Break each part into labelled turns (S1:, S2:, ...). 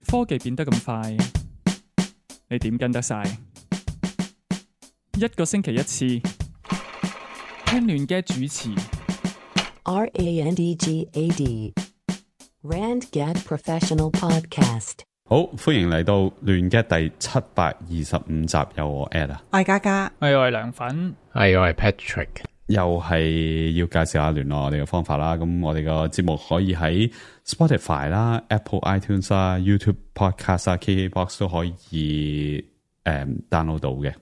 S1: 科技變得咁快，你點跟得晒？一個星期一次，聽亂嘅主持。
S2: RANDGAD RandGad Professional Podcast。
S3: 好，歡迎嚟到亂嘅第725集，有我 Ed 啊，
S4: 我係嘉嘉，
S1: 我係涼粉，
S5: 係我係 Patrick，
S3: 又係要介紹下聯絡我哋嘅方法啦。咁我哋個節目可以喺 Spotify 啦、Apple iTunes 啦、YouTube Podcast 啦、KKBox 都可以download 到嘅。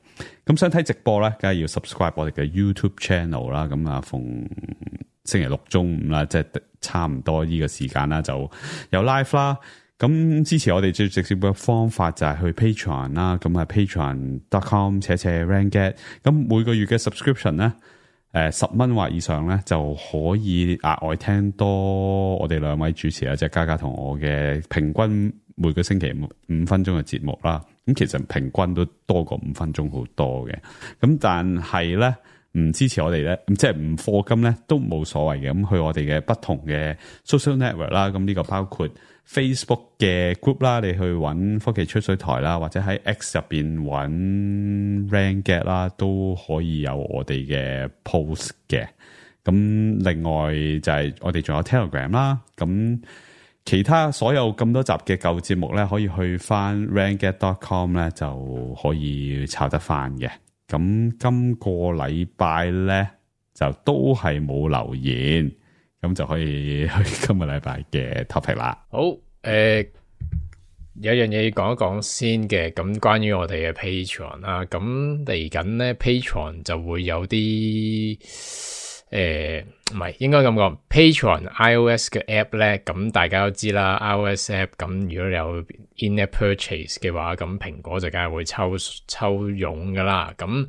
S3: 咁想睇直播咧，梗係要 subscribe 我哋嘅 YouTube channel 啦。咁啊，逢星期六中午啦，即係差唔多呢個時間啦，就有 live 啦。咁支持我哋最直接嘅方法就係去 Patreon 啦，咁啊 patreon.com/randgad， 咁每個月嘅 subscription 咧，10蚊或以上咧就可以額外聽多我哋兩位主持啊，即係嘉嘉同我嘅平均每個星期5分鐘嘅節目啦。咁其實平均都多過5分鐘好多嘅。咁但係咧唔支持我哋咧，即係唔課金咧都冇所謂嘅。咁去我哋嘅不同嘅 social network 啦，咁呢個包括Facebook 嘅 group 啦，你去揾科技吹水台啦，或者喺 X 入邊揾 RandGad 啦，都可以有我哋嘅 post 嘅。咁另外就係我哋仲有 Telegram 啦。咁其他所有咁多集嘅舊節目咧，可以去翻 randgad.com 咧就可以抄得翻嘅。咁今個禮拜咧就都係冇留言。咁就可以去今個禮拜嘅 topic 啦。
S5: 好，有樣嘢要講一講先嘅，咁關於我哋嘅 Patreon 啦，咁嚟緊咧 Patreon 就會有啲唔係應該咁講 Patreon iOS 嘅 app 咧，咁大家都知啦 iOS app，咁如果你有 in-app purchase 嘅話，咁蘋果就梗係會抽傭噶啦，咁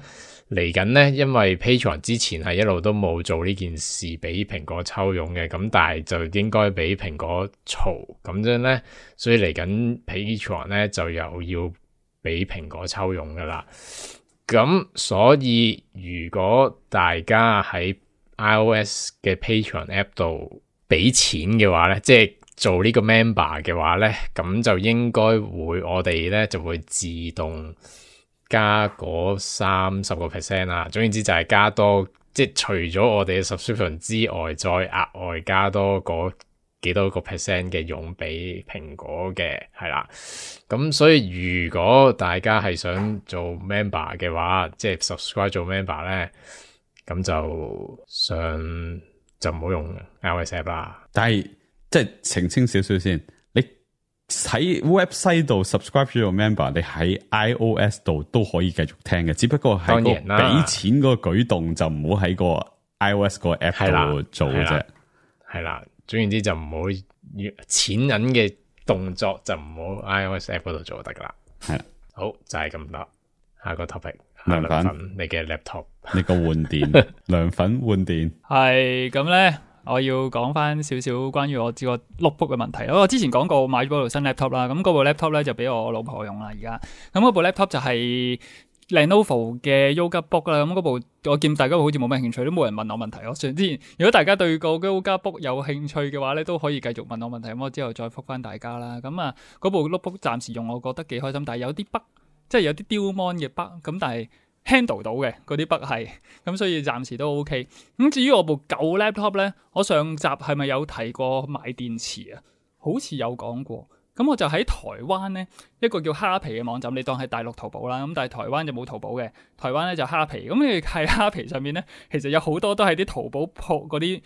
S5: 嚟緊咧，因為 Patreon 之前係一路都冇做呢件事俾蘋果抽傭嘅，咁但係就應該俾蘋果嘈咁樣咧，所以嚟緊 Patreon 咧就又要俾蘋果抽傭噶啦。咁所以如果大家喺 iOS 嘅 Patreon app 度俾錢嘅話咧，即係做呢個 member 嘅話咧，咁就應該會我哋咧就會自動加嗰30% 啦，總言之就係加多，即係除咗我哋嘅 subscription 之外，再額外加多嗰幾多個 percent 嘅傭俾蘋果嘅，係啦。咁所以如果大家係想做 member 嘅話，即係 subscribe 做 member 咧，咁就唔好用 iOS app 啦。
S3: 但係即係澄清少少先。喺 website 度 subscribe 咗個 member， 你喺 iOS 度都可以繼續聽嘅，只不過係個俾錢個舉動就唔好喺個 iOS 個 app 度做嘅啫。係
S5: 啦，總言之就唔好錢銀嘅動作就唔好 iOS app 嗰度做就得噶啦。係啦，好就係咁多。下個 topic， 涼粉，你嘅 laptop，
S3: 你個換電，涼粉換電
S1: 係咁咧。我要講翻少少關於我個 notebook 嘅問題。我之前講過買咗部新 laptop 啦，咁嗰部 laptop 咧就俾我老婆用啦。而家咁嗰部 laptop 就係 Lenovo 嘅 Yoga Book 啦。咁嗰部我見大家好似冇咩興趣，都冇人問我問題。我之前如果大家對個 Yoga Book 有興趣嘅話咧，都可以繼續問我問題。咁我之後再覆翻大家啦。咁啊，嗰部 notebook 暫時用我覺得幾開心，但係有啲 bug，即係有啲丟 mon 嘅 bug。咁但係handle 到嘅嗰啲筆係，咁所以暫時都 OK。咁至於我部舊 laptop 咧，我上集係咪有提過買電池啊？好似有講過。咁我就喺台灣咧一個叫蝦皮嘅網站，你當係大陸淘寶啦。咁但係台灣就冇淘寶嘅，台灣咧就蝦皮。咁你喺蝦皮上面咧，其實有好多都係啲淘寶鋪嗰啲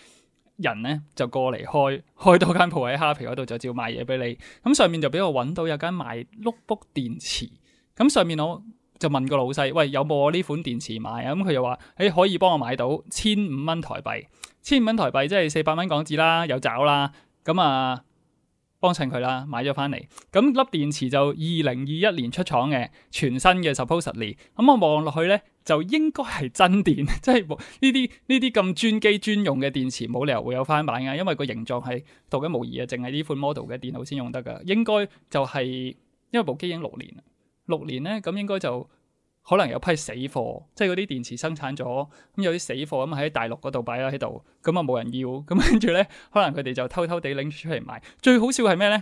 S1: 人咧就過嚟開多間鋪喺蝦皮嗰度就照賣嘢俾你。咁上面就俾我揾到有間賣 notebook 電池。咁上面我就問個老細，喂，有冇我呢款電池買啊？咁佢又話，可以幫我買到1500蚊台幣，1500蚊台幣即係400蚊港紙啦，有找啦。咁啊，幫襯佢啦，買咗翻嚟。咁粒電池就2021年出廠嘅，全新嘅 supposedly。咁我望落去咧，就應該係真電，即係呢啲咁專機專用嘅電池，冇理由會有翻版㗎，因為個形狀係獨一無二嘅，淨係呢款 model 嘅電腦先用得㗎。應該就係因為部機已經6年啦。6年咧，咁應該就可能有批死貨，即係嗰啲電池生產咗，咁有啲死貨咁喺大陸嗰度擺咗喺度，咁啊冇人要，咁跟住咧，可能佢哋就偷偷地拎出嚟賣。最好笑係咩咧？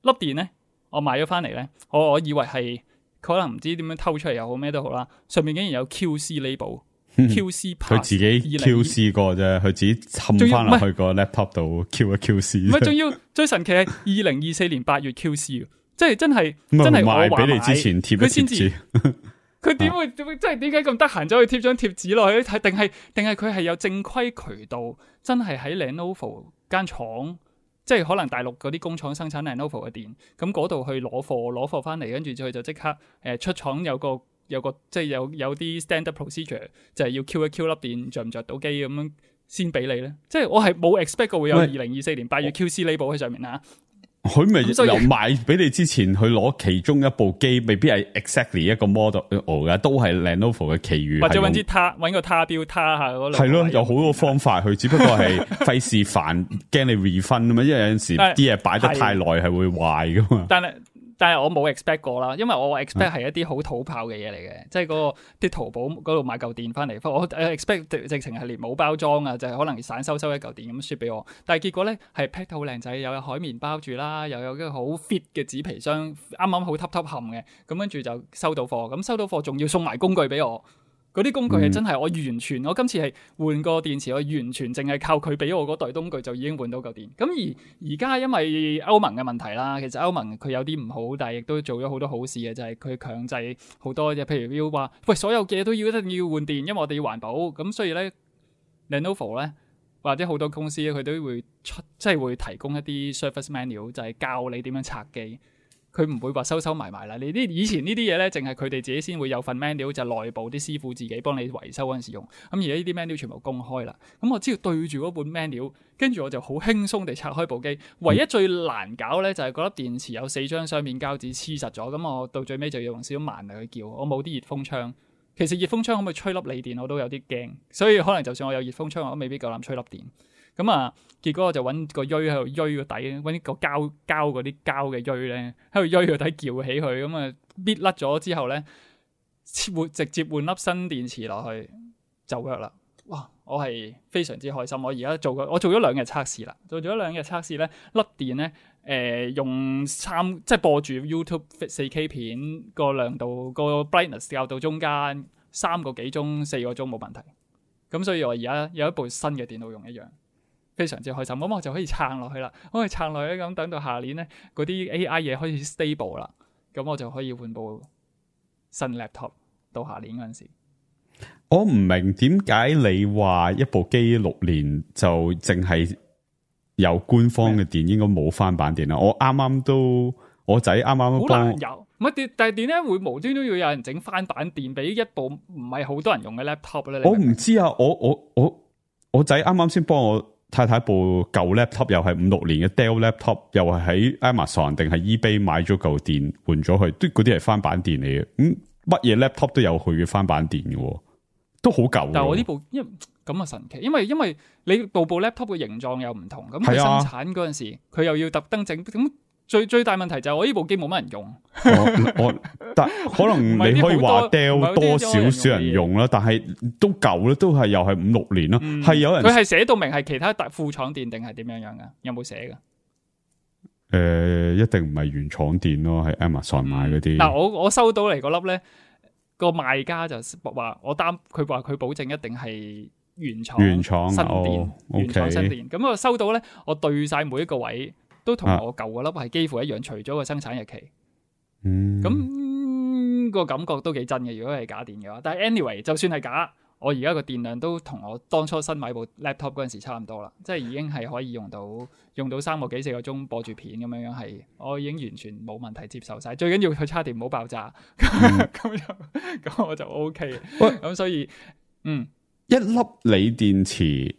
S1: 粒電咧，我買咗翻嚟咧，我以為係可能唔知點樣偷出嚟又好咩都好啦，上面竟然有 QC label。QC
S3: 佢自己 QC 過啫，佢自己冚翻落去個 laptop 度 Q 一 QC。
S1: 唔係，仲要最神奇係2024年8月 QC， 即係真係
S3: 賣俾你之前貼一貼紙。
S1: 佢點會即係點解咁得閒走去貼張貼紙落去？定係佢係有正規渠道，真係喺 Lenovo 間廠，即係可能大陸嗰啲工廠生產 Lenovo 嘅電，咁嗰度去攞貨翻嚟，跟住佢就即刻出廠有個即係有啲 standard procedure， 就係要 Q 一 Q 粒電着唔着到機咁樣先俾你咧。即係我係冇 expect 過會有2024年8月 QC label 喺上面啊。
S3: 佢咪由賣俾你之前，佢攞其中一部機，未必係 exactly 一個 model 嘅，都係 Lenovo 嘅其餘，
S1: 或者揾個他標他下嗰類。
S3: 係咯，有好多方法去，只不過係費事煩，驚你 refund 啊嘛。因為有陣時啲嘢擺得太耐係會壞噶嘛。
S1: 但係我冇 expect 過啦，因為我 expect 係一啲好土炮嘅嘢嚟嘅，即係啲淘寶嗰度買嚿電翻嚟，我 expect 直情係連冇包裝啊，就係可能散收一嚿電咁雪俾我。但係結果咧係 pack 到好靚仔，又有海綿包住啦，又有一個好 fit 嘅紙皮箱，啱啱好揼冚嘅，咁跟住就收到貨，咁收到貨仲要送埋工具俾我。嗰啲工具係真係我完全，我今次係換個電池，我完全淨係靠佢俾我嗰袋工具就已經換到嚿電。咁而家因為歐盟嘅問題啦，其實歐盟佢有啲唔好，但係亦都做咗好多好事嘅，就係佢強制好多嘢，譬如要話喂所有嘢都要一定要換電，因為我哋要環保。咁所以咧 Lenovo 咧或者好多公司咧，佢都會即係會提供一啲 service manual，就係教你點樣拆機。佢唔會話收埋啦，你啲以前呢啲嘢咧，淨係佢哋自己先會有份 manual，就內部啲師傅自己幫你維修嗰陣時用。咁而家呢啲 manual 全部公開啦，咁我只要對住嗰本 manual，跟住我就好輕鬆地拆開部機。唯一最難搞咧就係嗰粒電池有4張雙面膠紙黐實咗，咁我到最尾就要用少少蠻力去撬。我冇啲熱風槍，其實熱風槍可唔可以吹粒鋰電我都有啲驚，所以可能就算我有熱風槍，我都未必夠膽吹粒電。咁啊，結果我就揾個鋥喺度鋥個底，揾個膠嗰啲膠嘅鋥咧，喺度鋥個底撬起佢，咁啊搣甩咗之後咧，直接換粒新電池落去就 work 啦。哇！我係非常之開心。我而家我做咗2日測試啦，做咗2日測試咧，粒電咧用即係播住 YouTube 4K 片個亮度個 brightness 校到中間3個幾鐘4個鐘冇問題。咁所以我而家有一部新嘅電腦用一樣。非常之開心，咁我就可以撐落去啦。我可以撐落去咁，等到下年咧，嗰啲 AI 嘢開始 stable 啦，咁我就可以換部新 laptop 到下年嗰陣時。
S3: 我唔明點解你話一部機6年就淨係有官方嘅電，應該冇翻版電啦。我啱啱都我仔啱啱都幫
S1: 有，唔係但係點解會無端都要有人整翻版電俾一部唔係好多人用嘅 laptop 咧？
S3: 我唔知啊，我仔啱啱先幫我太太部舊 laptop 又係5-6年嘅 Dell laptop， 又係喺 Amazon 定係 eBay 買咗嚿電換咗佢，都嗰啲係翻版電嚟嘅。乜嘢 laptop 都有佢嘅翻版電嘅，都好舊。但係
S1: 我呢部因為咁啊神奇，因為你部 laptop 嘅形狀又唔同，咁佢生產嗰陣時佢又要特登整咁。最大問題就係我呢部機冇乜人用，
S3: 但可能你可以話 Dell 多少人用啦，但係都舊啦，都係又係5-6年啦，係有人
S1: 佢係寫到明係其他副廠電定係點樣噶？有冇寫噶？
S3: 一定唔係原廠電咯，係 Amazon 買嗰啲。
S1: 嗱，我收到嚟嗰粒咧，個賣家就話佢話佢保證一定係原廠新電，原廠新電。咁我收到咧，我對晒每一個位。都同我舊嗰粒係幾乎一樣，除咗個生產日期。咁個感覺都幾真嘅。如果係假電嘅話，但係 anyway， 就算係假，我而家個電量都同我當初新買部 laptop 嗰陣時差唔多啦，即係已經係可以用到3個幾4個鐘播住片咁樣，係我已經完全冇問題接受晒。最緊要佢叉電唔好爆炸，咁我就 OK。咁所以
S3: 一粒鋰電池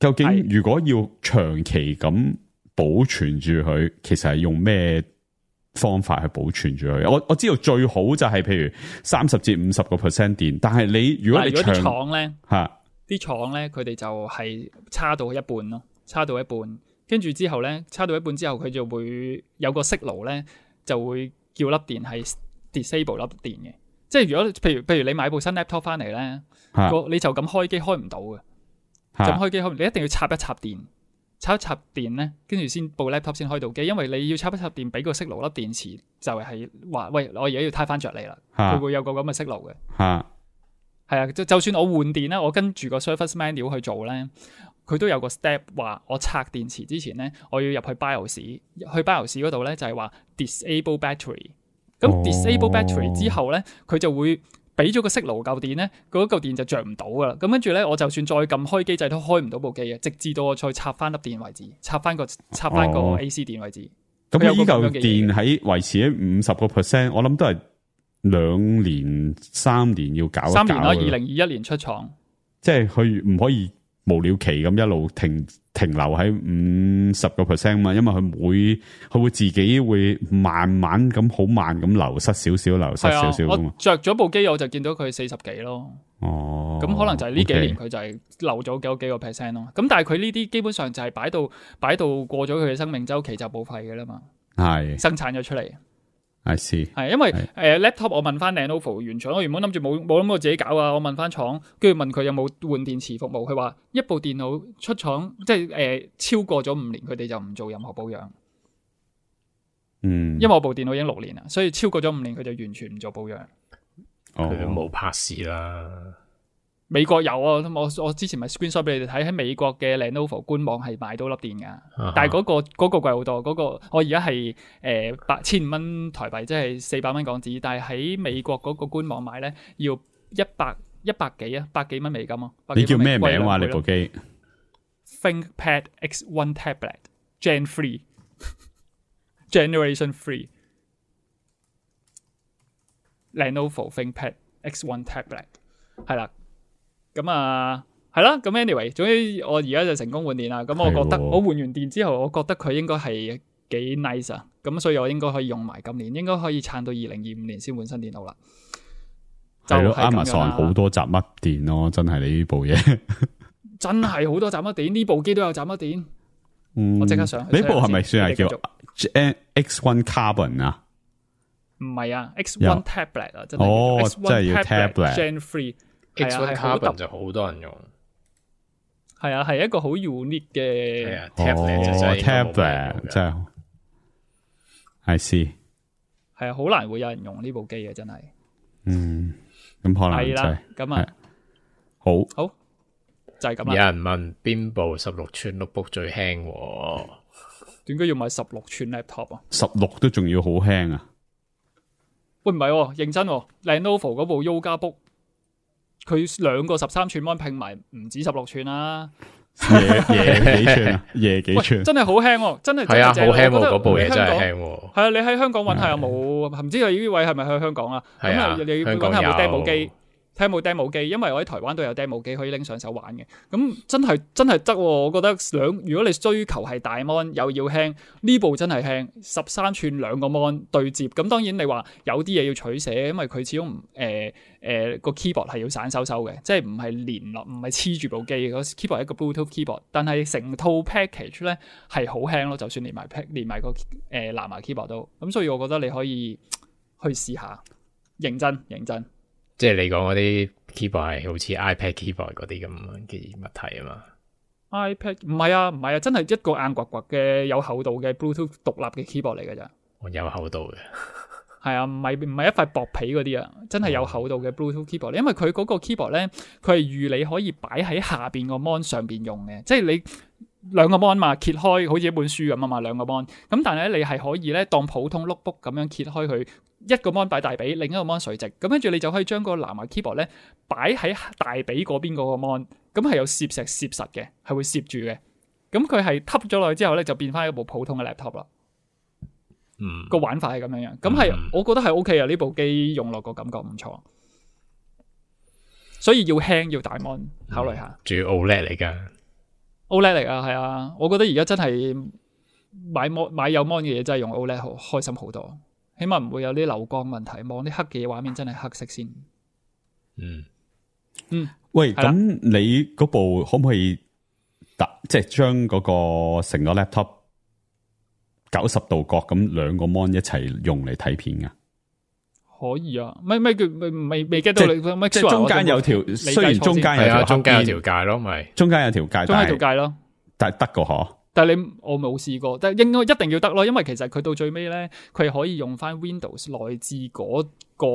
S3: 究竟如果要長期咁保存住佢，其實係用咩方法去保存住佢？我知道最好就係譬如30至50% 電，但係你如果你
S1: 啲廠咧啲廠咧，佢哋就係叉到一半咯，叉到一半，跟住之後咧，叉到一半之後，佢就會有個 signal 咧，就會叫粒電係 disable 粒電嘅。即係如果譬如你買部新 laptop 翻嚟咧，你就咁開機開唔到嘅，就開機開，你一定要插一插電。插一插電咧，跟住先部 laptop 先開到機，因為你要插一插電俾個息爐粒電池，就係話喂，我而家要撻翻着你啦，佢會有個咁嘅息爐嘅。係啊，就算我換電咧，我跟住個 service manual 去做咧，佢都有個 step 話我拆電池之前咧，我要入去 BIOS， 去 BIOS 嗰度咧就係話 disable battery。咁 disable battery 之後咧，佢就會俾咗個息爐嚿電咧，嗰嚿電就着唔到噶啦。咁跟住咧，我就算再撳開機掣都開唔到部機嘅，直至到我再插翻粒電為止，插翻個 AC 電為止。
S3: 咁呢嚿電喺維持喺50%，我諗都係2年3年要搞一搞。3年啦
S1: ，2021年出廠，
S3: 即係佢唔可以無了期咁一路停留喺50%嘛，因為佢會自己會慢慢咁好慢咁流失少少嘛。
S1: 我着咗部機我就見到佢40幾咯。哦，咁可能就係呢幾年佢就係漏咗幾個 percent 咯。咁但係佢呢啲基本上就係擺到過咗佢嘅生命週期就報廢嘅啦嘛。係生產咗出嚟。
S3: I see，
S1: 係因為laptop 我問翻 Lenovo 原廠，我原本諗住冇諗過自己搞啊，我問翻廠，跟住問佢有冇換電池服務，佢話一部電腦出廠即係超過咗5年，佢哋就唔做任何保養。因為我部電腦已經6年啦，所以超過咗5年佢就完全唔做保養。
S5: 佢都冇拍市啦。
S1: 美國有啊，我之前咪 screenshot 俾你哋睇，喺美國嘅 Lenovo 官網係買到粒電噶，但係嗰個貴好多，嗰個我而家係1,500蚊台幣，即係400蚊港紙，但係喺美國嗰個官網買咧要100幾啊，100幾蚊美金啊。
S3: 你叫咩名話？你部機
S1: ThinkPad X1 Tablet Gen 3 Generation 3 Lenovo ThinkPad X1 Tablet 係啦。咁啊，係啦，咁 anyway， 總之我而家就成功換電啦。咁我覺得我換完電之後，我覺得佢應該係幾 nice 啊。咁所以我應該可以用埋今年，應該可以撐到2025年先換新電腦啦。
S3: 係咯 ，Amazon 好多雜乜電咯，真係你呢部嘢，
S1: 真係好多雜乜電，呢部機都有雜乜電。我即刻上去。
S3: 呢部係咪算係叫 X1 Carbon 啊？
S1: 唔係啊 ，X1 Tablet 啊，真係。
S3: 真係要 Tablet
S1: Gen 3。X1
S5: Carbon 就好多人用，
S1: 係啊，係一個好 unique 嘅
S5: tablet
S3: 真係，I see，
S1: 係啊，好難會有人用呢部機嘅，真係。
S3: 咁可能
S1: 係啦，咁啊，
S3: 好
S1: 就係咁啦。
S5: 有人問邊部16寸 notebook 最輕？
S1: 點解要買16寸 laptop 啊
S3: ？16都仲要好輕啊？
S1: 喂，唔係，認真，Lenovo 嗰部 Yoga Book。佢2個13寸 mon 拼埋唔止16寸啦，
S3: 夜幾寸啊？夜幾寸？
S1: 真係好輕，真係
S5: 係啊，好輕喎！嗰部嘢真係輕喎。係
S1: 啊，你喺香港揾下有冇？唔知你呢位係咪去香港啊？
S5: 係啊，
S1: 你揾下有冇 demo 機，睇下有冇 demo 機，因為我喺台灣都有 demo 機可以拎上手玩嘅。咁真係得，我覺得如果你追求係大 mon 又要輕，呢部真係輕，13寸2個 mon 對接。咁當然你話有啲嘢要取捨，因為佢始終個 keyboard 係要散收嘅，即係唔係連落，唔係黐住部機。個 keyboard 係一個 Bluetooth keyboard，但係成套 package 咧係好輕咯，就算連埋個藍牙 keyboard 都。咁所以我覺得你可以去試下，認真。
S5: 即係你講嗰啲 keyboard 係好似 iPad keyboard 嗰啲咁嘅物體啊嘛
S1: ？iPad 唔係啊，真係一個硬掘掘嘅有厚度嘅 Bluetooth 獨立嘅 keyboard 嚟㗎咋。
S5: 有厚度嘅。
S1: 係啊，唔係一塊薄皮嗰啲啊，真係有厚度嘅 Bluetooth keyboard。因為佢嗰個 keyboard 咧，佢係預你可以擺喺下邊個 mon 上邊用嘅，即係你2個 mon 嘛，揭開好似一本書咁啊嘛，2個 mon。咁但係咧，你係可以咧當普通 notebook 咁樣揭開佢，一個 mon 擺大髀，另一個 mon 垂直，咁跟住你就可以將個藍牙 keyboard 咧擺喺大髀嗰邊嗰個 mon，咁係有攝實嘅，係會攝住嘅。咁佢係吸咗落去之後咧，就變翻一部普通嘅 laptop 啦。個玩法係咁樣，咁係我覺得係 OK 啊！呢部機用落個感覺唔錯，所以要輕要大 mon 考慮下。
S5: 仲要 OLED 嚟噶
S1: ，OLED 嚟噶，係啊！我覺得而家真係買有 mon 嘅嘢真係用 OLED 好開心好多，起碼唔會有啲流光問題，望啲黑嘅畫面真係黑色先。
S3: 喂，咁你嗰部可唔可以即係將嗰個成個 laptop 90度角咁2個 mon 一齊用嚟睇片噶？可
S1: 以啊，咩叫未 get 到你？
S3: 即係中間有條，雖然中間有條
S5: 中間有條界咯，咪
S3: 中間有條界，
S1: 中間有條界咯，
S3: 但係得個嗬，
S1: 但係我冇試過，但係應該一定要得咯，因為其實佢到最尾咧，佢可以用翻 Windows 內置嗰個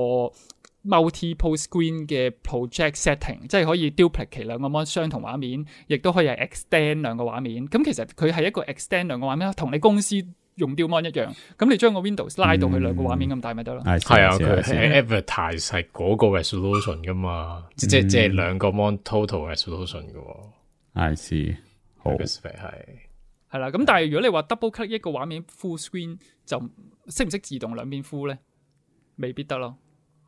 S1: multiple screen 嘅 project setting， 即係可以 duplicate 兩個 mon 相同畫面，亦都可以係 extend 兩個畫面。咁其實佢係一個 extend 兩個畫面，同你公司用 dual mon 一樣。咁你將個 Windows 拉到去兩個畫面咁大咪得咯。
S5: 係啊，佢係 advertise 係嗰個 resolution 噶嘛，即係兩個 mon total resolution 噶。
S3: I see， 好
S1: 係啦。咁但係如果你話 double click 一個畫面 full screen， 就識唔識自動兩邊 full 咧？未必得咯。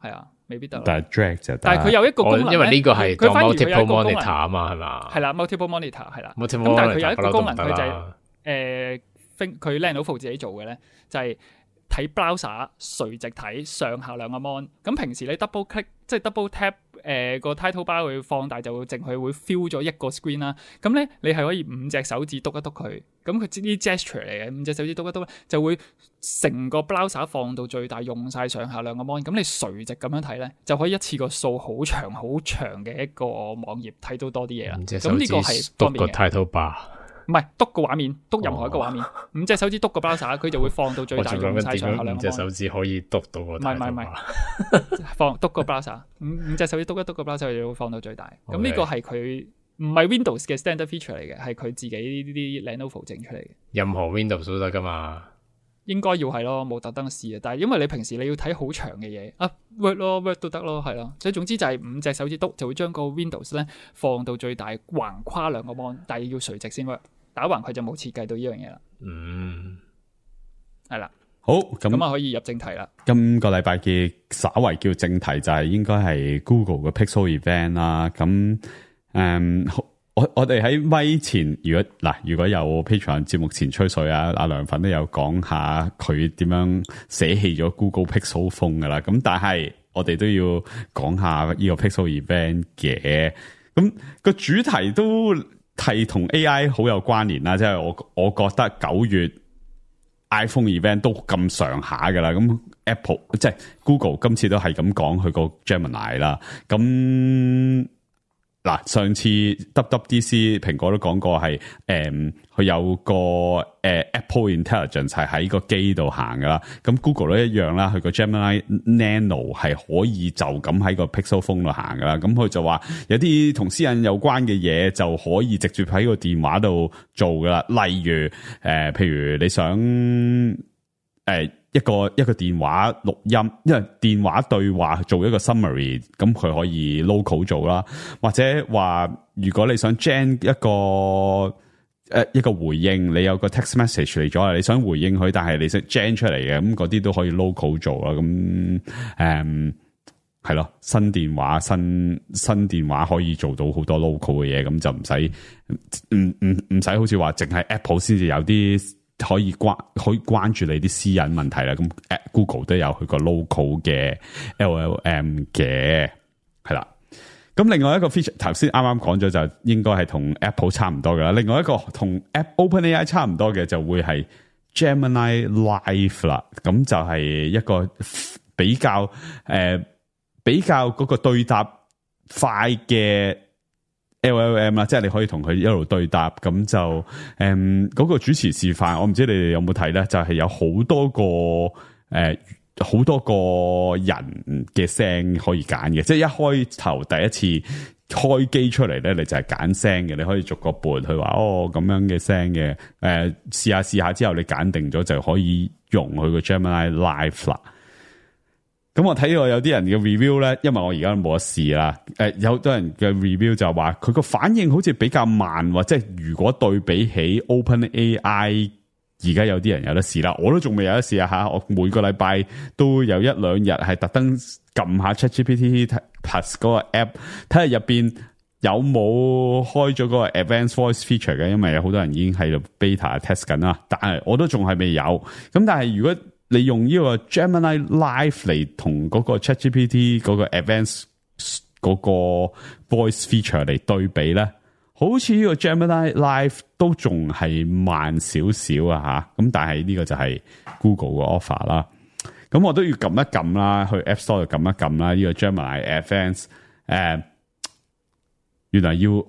S1: 係啊，未必得。
S3: 但係 drag 就得。
S1: 但係佢有一個功能，
S5: 因為呢個係
S1: 佢反而
S5: multiple monitor 啊嘛，係嘛？
S1: 係啦 ，multiple monitor 係啦。
S5: 咁
S1: 但係佢有一個功能，佢就係佢 Lenovo 自己做嘅咧，就係睇 browser 垂直睇上下兩個 mon。咁平時你 double click 即係 double tap 個 title bar 會放大，就會淨係會 fill 咗一個 screen 啦。咁咧你係可以5隻手指篤一篤佢，咁佢啲 gesture 嚟嘅，5隻手指篤一篤就會成個 browser 放到最大，用晒上下兩個 mon。咁你垂直咁樣睇咧，就可以一次過掃好長嘅一個網頁睇到多啲嘢啦。咁呢個係方便嘅。
S5: 篤個 title bar。
S1: 唔係篤個畫面，篤任何一個畫面，5隻手指篤個 browser，佢就會放到最大，用晒上下兩個。
S5: 5隻手指可以篤到個。唔係，
S1: 放篤個 browser， 5隻手指篤一篤個 browser，佢就會放到最大。咁呢個係佢唔係 Windows 嘅 standard feature 嚟嘅，係佢自己呢啲 Lenovo 整出嚟嘅。
S5: 任何 Windows 都得噶嘛？
S1: 應該要係咯，冇特登試啊。但係因為你平時你要睇好長嘅嘢啊 ，Word 都得咯，係咯。所以總之就係5隻手指篤就會將個 Windows 咧放到最大，橫跨兩個 mon， 但係要垂直先 work。打橫佢就冇設計到呢樣嘢啦。係啦。
S3: 好，咁
S1: 啊可以入正題啦。
S3: 今個禮拜嘅稍為叫正題就係應該係 Google 嘅 Pixel Event 啦。咁我哋喺咪前，如果有 Patreon 節目前吹水啊，阿梁粉都有講下佢點樣捨棄咗 Google Pixel Phone 噶啦。咁但係我哋都要講下呢個 Pixel Event 嘅。咁個主題都係同 AI 好有關聯啦，即係我覺得9月 iPhone event 都咁上下噶啦，咁 Apple 即係 Google 今次都係咁講佢個 Gemini 啦，咁嗱上次 WWDC 蘋果都講過係佢有個Apple Intelligence 係喺個機度行噶啦，咁 Google 都一樣啦，佢個 Gemini Nano 係可以就咁喺個 Pixel Phone 度行噶啦，咁佢就話有啲同私隱有關嘅嘢就可以直接喺個電話度做噶啦，例如譬如你想一個電話錄音，因為電話對話做一個 summary， 咁佢可以 local 做啦，或者話如果你想 gen 一個回應，你有個 text message 嚟咗，你想回應佢，但係你想 gen 出嚟嘅，咁嗰啲都可以 local 做啦。咁係咯，新電話可以做到好多 local 嘅嘢，咁就唔使好似話淨係 Apple 先至有啲可以關注你啲私隱問題啦。咁 Google 都有佢個 local 嘅 LLM 嘅，係啦。咁另外一個 feature 頭先啱啱講咗，就應該係同 Apple 差唔多噶啦。另外一個同 OpenAI 差唔多嘅就會係 Gemini Live 啦。咁就係一個比較嗰個對答快嘅 LLM 啦，即係你可以同佢一路對答。咁就嗰個主持示範，我唔知你哋有冇睇咧，就係有好多個人嘅聲可以揀嘅，即係一開頭第一次開機出嚟咧，你就係揀聲嘅，你可以逐個撥佢話咁樣嘅聲嘅，試下之後你揀定咗就可以用佢個 Gemini Live 啦。咁我睇到有啲人嘅 review 咧，因為我而家冇得試啦，有好多人嘅 review 就話佢個反應好似比較慢，即係如果對比起 OpenAI。而家有啲人有得試啦，我都仲未有得試啊吓！我每個禮拜都有1-2日係特登撳下 ChatGPT Plus 嗰個 app， 睇下入邊有冇開咗嗰個 Advanced Voice Feature 嘅，因為有好多人已經喺度 beta test 緊啦。但係我都仲係未有。咁但係如果你用呢個 Gemini Live 嚟同嗰個 ChatGPT 嗰個 Advanced 嗰個 Voice Feature 嚟對比咧，好似呢個 Gemini Live 都仲係慢少少啊吓，咁但係呢個就係 Google 嘅 offer 啦。咁我都要撳一撳啦，去 App Store 度撳一撳啦。呢個 Gemini Advanced 原來要我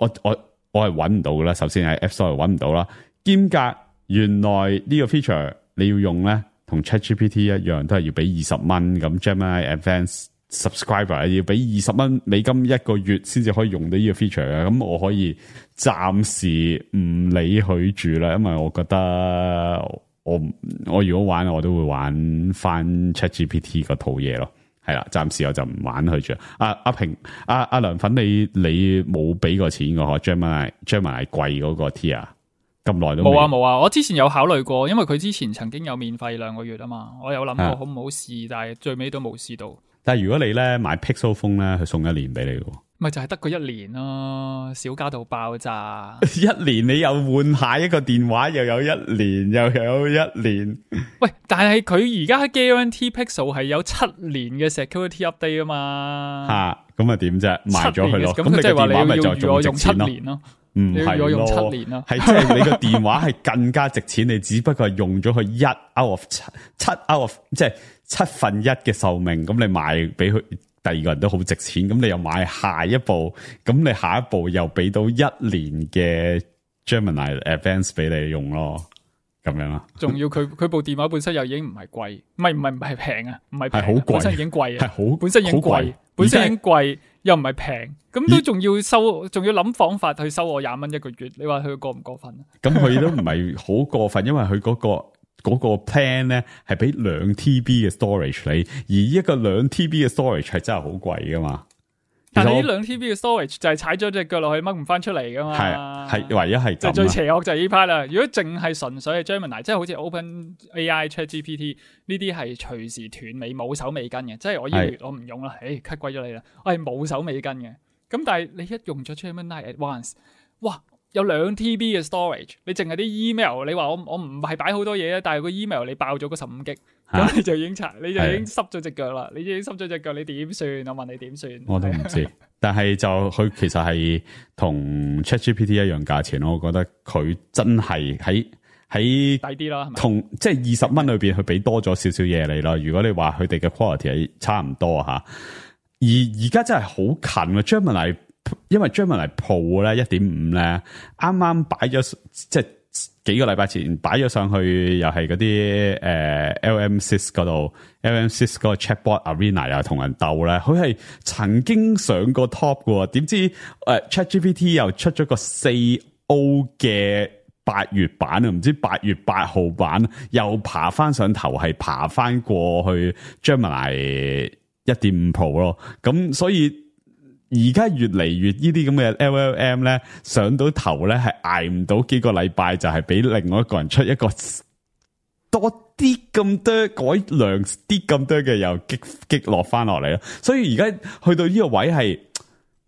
S3: 係揾唔到噶啦。首先喺 App Store 度揾唔到啦。兼夾原來呢個 feature 你要用咧，同 ChatGPT 一樣，都係要俾20蚊咁 Gemini Advanced Subscriber 要俾20美金一個月先至可以用到呢個 feature 嘅。咁我可以暫時唔理佢住啦，因為我覺得我如果玩我都會玩翻 ChatGPT 嗰套嘢咯。係啦，暫時我就唔玩佢住。阿梁粉，你冇俾過錢嘅嗬 ？Gemini 貴嗰個 tier 咁耐都
S1: 冇啊！我之前有考慮過，因為佢之前曾經有免費2個月啊嘛，我有諗過好唔好試，但係最尾都冇試到。
S3: 但係如果你咧買 Pixel Phone 咧，佢送1年俾你嘅。
S1: 咪就係得個1年咯，少加到爆炸。
S3: 1年你又換下一個電話，又有1年，又有1年。
S1: 喂，但係佢而家 Guarantee Pixel 係有7年嘅 security update 啊嘛。
S3: 吓，咁啊點啫？賣咗佢咯。
S1: 咁你
S3: 個電話咪就
S1: 仲值錢
S3: 7
S1: 年咯？
S3: 唔係咯，
S1: 用7年咯，
S3: 係即係你個電話係更加值錢，你只不過係用咗佢1 out of 7 out of 即係1/7嘅壽命，咁你賣俾佢。第二個人都好值錢，咁你又買下一步，咁你下一步又俾到1年嘅 Gemini Advance 俾你用咯，咁樣啦。
S1: 仲要佢部電話本身又已經唔係貴，唔係平啊，唔係平，
S3: 係好貴，
S1: 本身已經貴啊，
S3: 係好
S1: 本身已經貴，本身已經貴，又唔係平，咁都仲要收，仲要諗方法去收我20蚊一個月，你話佢過唔過分啊？
S3: 咁佢都唔係好過分，因為佢嗰個 plan 咧係俾2 TB 嘅 storage 你，而一個2 TB 嘅 storage 係真係好貴噶嘛。
S1: 但係呢2 TB 嘅 storage 就係踩咗隻腳落去掹唔翻出嚟噶嘛。係
S3: 唯一係
S1: 就最邪惡就係呢 part 啦。如果淨係純粹係 Gemini， 即係好似 OpenAI、ChatGPT 呢啲係隨時斷尾冇手尾跟嘅，即係我呢個月我唔用啦，cut 鬼咗你啦，我係冇手尾跟嘅。咁但係你一用咗 Gemini Advanced， 哇！有2 TB 嘅 storage， 你淨係啲 email， 你話我唔係擺好多嘢，但係個 email 你爆咗個15 G， 咁你就已經濕咗隻腳啦，你已經濕咗隻腳，你點算？我問你點算？
S3: 我都唔知，但係就佢其實係同 ChatGPT 一樣價錢咯，我覺得佢真係喺
S1: 抵啲啦，係咪？同
S3: 即係20蚊裏邊，佢俾多咗少少嘢你啦。如果你話佢哋嘅 quality 係差唔多吓，而家真係好近啊 Gemini。因為 Gemini Pro 咧 1.5 咧，啱啱擺咗即係幾個禮拜前擺咗上去，又係嗰啲LM6 嗰度 ，LM6 嗰個 Chatbot Arena 又同人鬥咧，佢係曾經上過 top 嘅，點知ChatGPT 又出咗個4O 嘅8月版啊，唔知8月8號版又爬翻上頭，係爬翻過去 Gemini 1.5 Pro 咯，咁所以。而家越嚟越呢啲咁嘅 LLM 咧上到頭咧係捱唔到幾個禮拜，就係俾另外一個人出一個多啲咁多改良啲咁多嘅又擊落翻落嚟咯。所以而家去到呢個位係，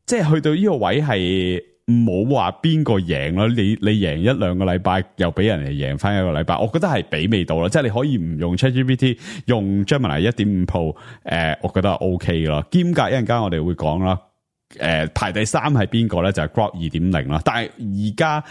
S3: 即係去到呢個位係冇話邊個贏咯。你贏1-2個禮拜，又俾人哋贏翻1個禮拜，我覺得係比味道咯。即係你可以唔用 ChatGPT， 用 Gemini 1.5 Pro， 我覺得係 OK 咯。兼夾一陣間我哋會講啦。排第3係邊個咧？就係 Grok 2.0 啦。但係而家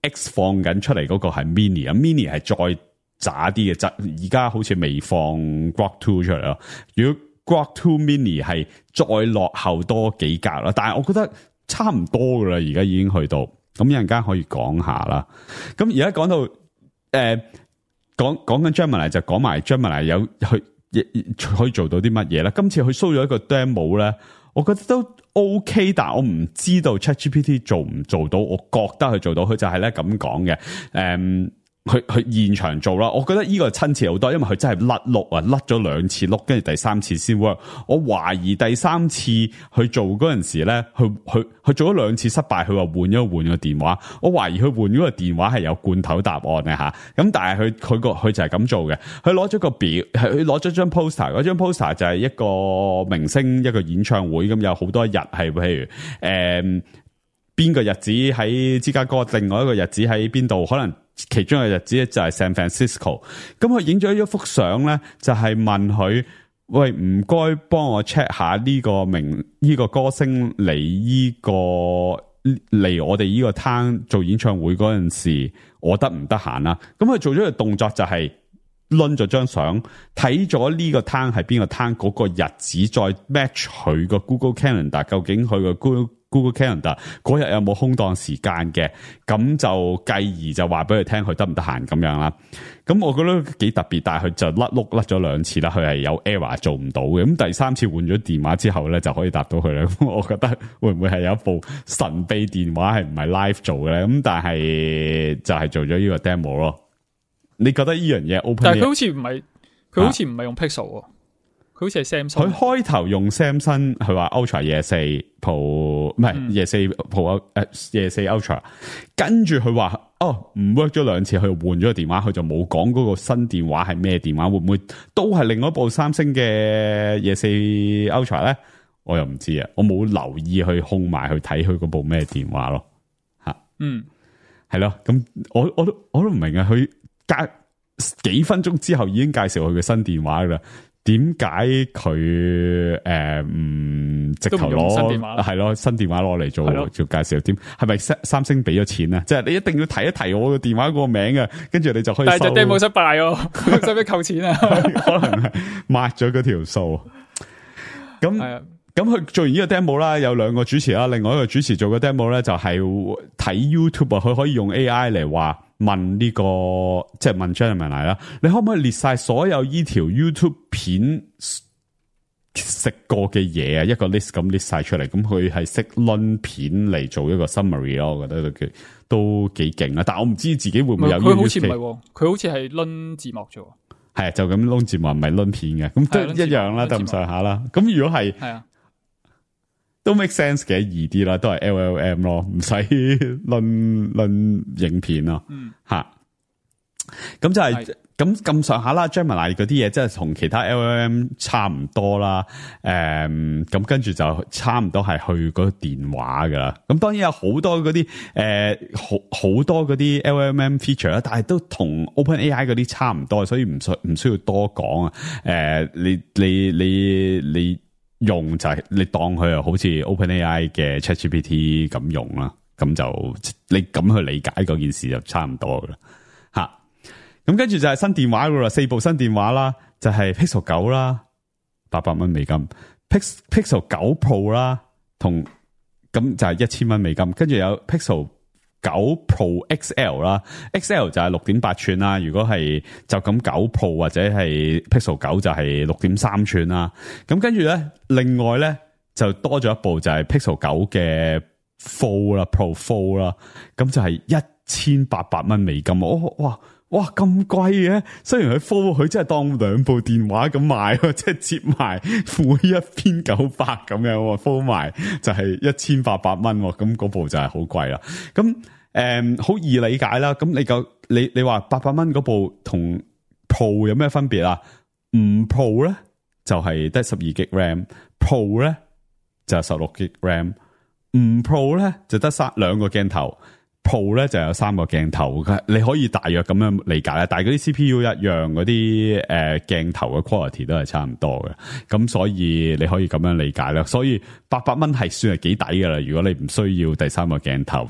S3: X 放緊出嚟嗰個係 Mini 啊 ，Mini 係再渣啲嘅，而家好似未放 Grok 2出嚟咯。如果 Grok 2 Mini 係再落後多幾格啦，但係我覺得差唔多噶啦，而家已經去到。咁一陣間可以講下啦。咁而家講到講緊 Gemini 就講埋 Gemini 有去可以做到啲乜嘢咧？今次佢 show 咗一個 demo 咧，我覺得都 OK， 但係我唔知道 ChatGPT 做唔做到，我覺得佢做到，佢就係咧咁講嘅，佢現場做啦，我覺得呢個親切好多，因為佢真係甩碌啊，甩咗2次碌，跟住第3次先 work。我懷疑第3次去做嗰陣時咧，佢做咗2次失敗，佢話換個電話。我懷疑佢換嗰個電話係有罐頭答案嘅吓，咁但係佢就係咁做嘅。佢攞咗個表，佢攞咗張 poster， 嗰張 poster 就係一個明星一個演唱會，咁有好多日係譬如邊個日子喺芝加哥，另外一個日子喺邊度，可能其中一個日子就係 San Francisco。咁佢影咗一幅相咧，就係問佢：喂，唔該幫我 check 下呢個歌星嚟我哋呢個攤做演唱會嗰陣時，我得唔得閒啦？咁佢做咗個動作就係掄咗張相，睇咗呢個攤係邊個攤嗰個日子，再 match 佢個 Google Calendar， 究竟佢個 Google Calendar 嗰日有冇空檔時間嘅，咁就繼而就話俾佢聽佢得唔得閒咁樣啦。咁我覺得幾特別，但係佢就甩咗2次啦，佢係有 error 做唔到嘅。咁第3次換咗電話之後咧，就可以答到佢啦。咁我覺得會唔會係有一部神秘電話係唔係 live 做嘅咧？咁但係就係做咗呢個 demo 咯。你覺得呢樣嘢 open？
S1: 但係佢好似唔係，佢好似唔係用 Pixel 喎，佢好似係 Samsung。
S3: 佢開頭用 Samsung， 佢話 Ultra 24 Pro 唔係24 Pro 24 Ultra， 跟住佢話唔 work 咗2次，佢又換咗個電話，佢就冇講嗰個新電話係咩電話，會唔會都係另外一部三星嘅24 Ultra 咧？我又唔知啊，我冇留意去控埋去睇佢嗰部咩電話咯。吓，係咯，咁我都唔明啊，佢隔幾分鐘之後已經介紹佢嘅新電話噶啦。點解佢唔直頭攞係咯新電話攞嚟做介紹？點係咪三星俾咗錢啊？即係你一定要提一提我個電話個名啊，跟住你就可以收。
S1: 但係隻 demo 失敗喎，使唔使扣錢啊？
S3: 可能係抹咗嗰條數。咁佢做完呢個 demo 啦，有2個主持啦，另外一個主持做嘅 demo 咧就係睇 YouTube 啊，佢可以用 AI 嚟話問呢個即係問 Gemini 啦，你可唔可以列晒所有呢條 YouTube 片食過嘅嘢啊？一個 list 咁 list 晒出嚟，咁佢係識掄片嚟做一個 summary 咯，我覺得都幾勁啊！但係我唔知自己會唔會有呢個。佢好似唔係，
S1: 佢好似係掄字幕啫。
S3: 係啊，就咁掄字幕，唔係掄片嘅，咁都一樣啦，得咁上下啦。咁如果係都 make sense 嘅，易啲啦，都係 LLM 咯，唔使論影片咯，吓。咁就係咁上下啦 ，Gemini 嗰啲嘢，即係同其他 LLM 差唔多啦。咁跟住就差唔多係去嗰個電話噶啦。咁當然有好多嗰啲好多嗰啲 LLM feature 啦，但係都同 OpenAI 嗰啲差唔多，所以唔需要多講啊。你用就係你當佢又好似 OpenAI 嘅 ChatGPT 咁用啦，咁就你咁去理解嗰件事就差唔多噶啦，吓。咁跟住就係新電話噶啦，4部新電話啦，就係 Pixel 9啦，800美金 ，Pixel 9 Pro 啦，同咁就係1000美金，跟住有 Pixel 9 Pro XL 啦 ，XL 就係6.8寸啦。如果係就咁9 Pro 或者係 Pixel 9就係6.3寸啦。咁跟住咧，另外咧就多咗一部就係 Pixel 9嘅 Fold 啦 ，Pro Fold 啦。咁就係1800美金。哇咁貴嘅！雖然佢 Fold 佢真係當2部電話咁賣，即係接埋每一邊900咁樣 Fold 埋就係1800蚊。咁嗰部就係好貴啦。咁好易理解啦。咁你話800蚊嗰部同 Pro 有咩分別啊？唔 Pro 咧就係得12GB RAM，Pro 咧就係16GB RAM， 唔 Pro 咧就得2個鏡頭。Pro 咧就有3個鏡頭，你可以大約咁樣理解啦。但係嗰啲 CPU 一樣，嗰啲鏡頭嘅 quality 都係差唔多嘅，咁所以你可以咁樣理解啦。所以800蚊係算係幾抵噶啦。如果你唔需要第3個鏡頭，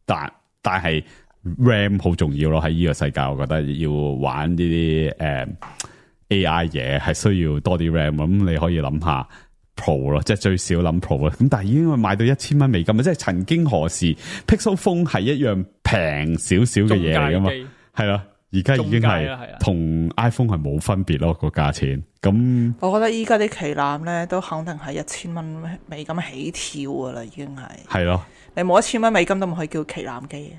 S3: 但係 RAM 好重要咯。喺呢個世界，我覺得要玩呢啲AI 嘢係需要多啲 RAM。咁你可以諗下。Pro 咯，即係最少諗 Pro 啦，咁但係已經賣到1000美金啊！即係曾經何時 Pixel Phone 係一樣平少少嘅嘢嚟噶嘛？係啦，而家已經係同 iPhone 係冇分別咯，個價錢。咁
S4: 我覺得依家啲旗艦咧都肯定係1000美金起跳噶啦，已經係咯。你冇1000美金都唔可以叫旗艦機。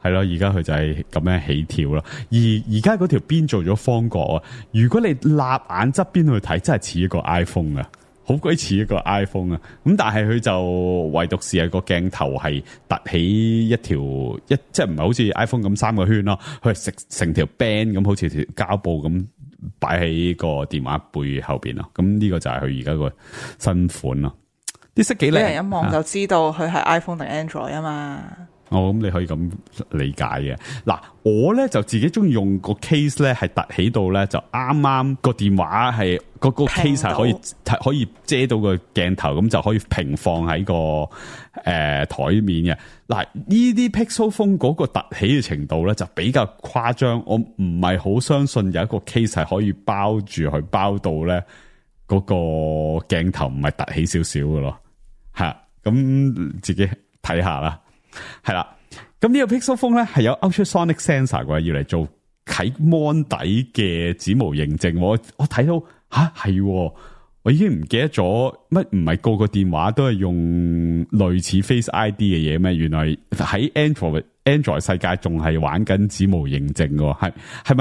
S3: 係咯，而家佢就係咁樣起跳咯。而家嗰條邊做咗方角啊！如果你立眼側邊去睇，真係似一個 iPhone 啊！好鬼似一個 iPhone 啊！咁但係佢就唯獨是係個鏡頭係凸起一條即係唔係好似 iPhone 咁3個圈咯，佢係成條 band 咁，好似條膠布咁擺喺個電話背後邊咯。咁呢個就係佢而家個新款咯。啲色幾靚，
S4: 俾人一望就知道佢係 iPhone 定 Android 啊嘛。
S3: 咁你可以咁理解嘅。嗱，我咧就自己中意用個 case 咧，係凸起到咧就啱啱個電話係個 case 係可以遮到個鏡頭，咁就可以平放喺個台面嘅。嗱，呢啲 Pixel Phone 嗰個凸起嘅程度咧就比較誇張，我唔係好相信有一個 case 係可以包住佢包到咧嗰個鏡頭唔係凸起少少嘅咯，吓。咁咁自己睇下啦。係啦，咁呢個 Pixel Phone 咧係有 ultrasonic sensor 嘅，要嚟做啟 mon 底嘅指模認證。我睇到係，我已經唔記得咗乜，唔係個個電話都係用類似 Face ID 嘅嘢咩？原來喺 Android 世界仲係玩緊指模認證嘅，係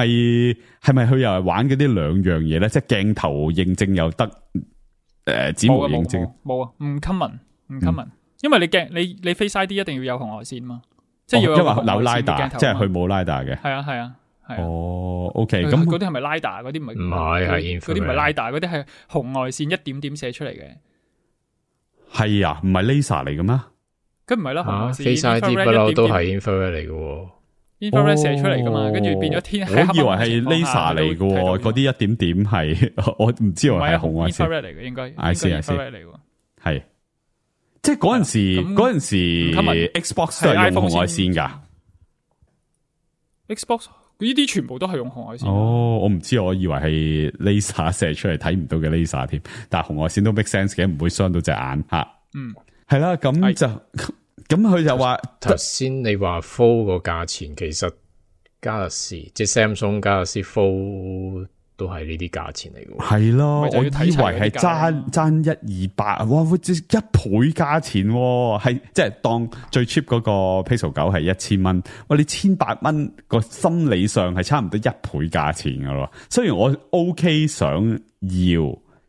S3: 咪佢又係玩嗰啲兩樣嘢咧？即係鏡頭認證又得，指模認證
S1: 冇啊，唔 common，因為你 Face ID 一定要有紅外線嘛，即係要
S3: 有LiDAR，即係佢冇 LiDAR 嘅。
S1: 係啊。
S3: 哦 ，OK， 咁
S1: 嗰啲係咪 LiDAR？ 嗰啲唔係嗰啲唔係 LiDAR， 嗰啲係紅外線一點點射出嚟嘅。係
S3: 啊，唔係 laser 嚟嘅咩？
S1: 咁唔係啦，紅外線
S5: Face ID 不嬲都係 infrared 嚟嘅
S1: ，infrared 射出嚟噶嘛，跟住變咗天。
S3: 我以為係 laser 嚟嘅，嗰啲一點點係我唔知喎，係紅外線
S1: infrared 嚟嘅，應該
S3: infrared 嚟嘅，係即係嗰陣時 Xbox 都係用紅外線噶
S1: ，Xbox。呢啲全部都係用紅外線。
S3: 我唔知，我以為係 laser 射出嚟睇唔到嘅 laser 添，但係紅外線都 make sense 嘅，唔會傷到隻眼吓。係啦，咁就咁佢就話
S5: 頭先你話 Fold 個價錢，其實 Galaxy 即係 Samsung Galaxy Fold 都係呢啲價錢嚟嘅。
S3: 係咯，我以為係爭100-200，哇，即係1倍價錢，係即係當最 cheap 嗰個 Pixel 9係1000蚊，哇，你1800蚊個心理上係差唔多1倍價錢噶咯。雖然我 OK 想要，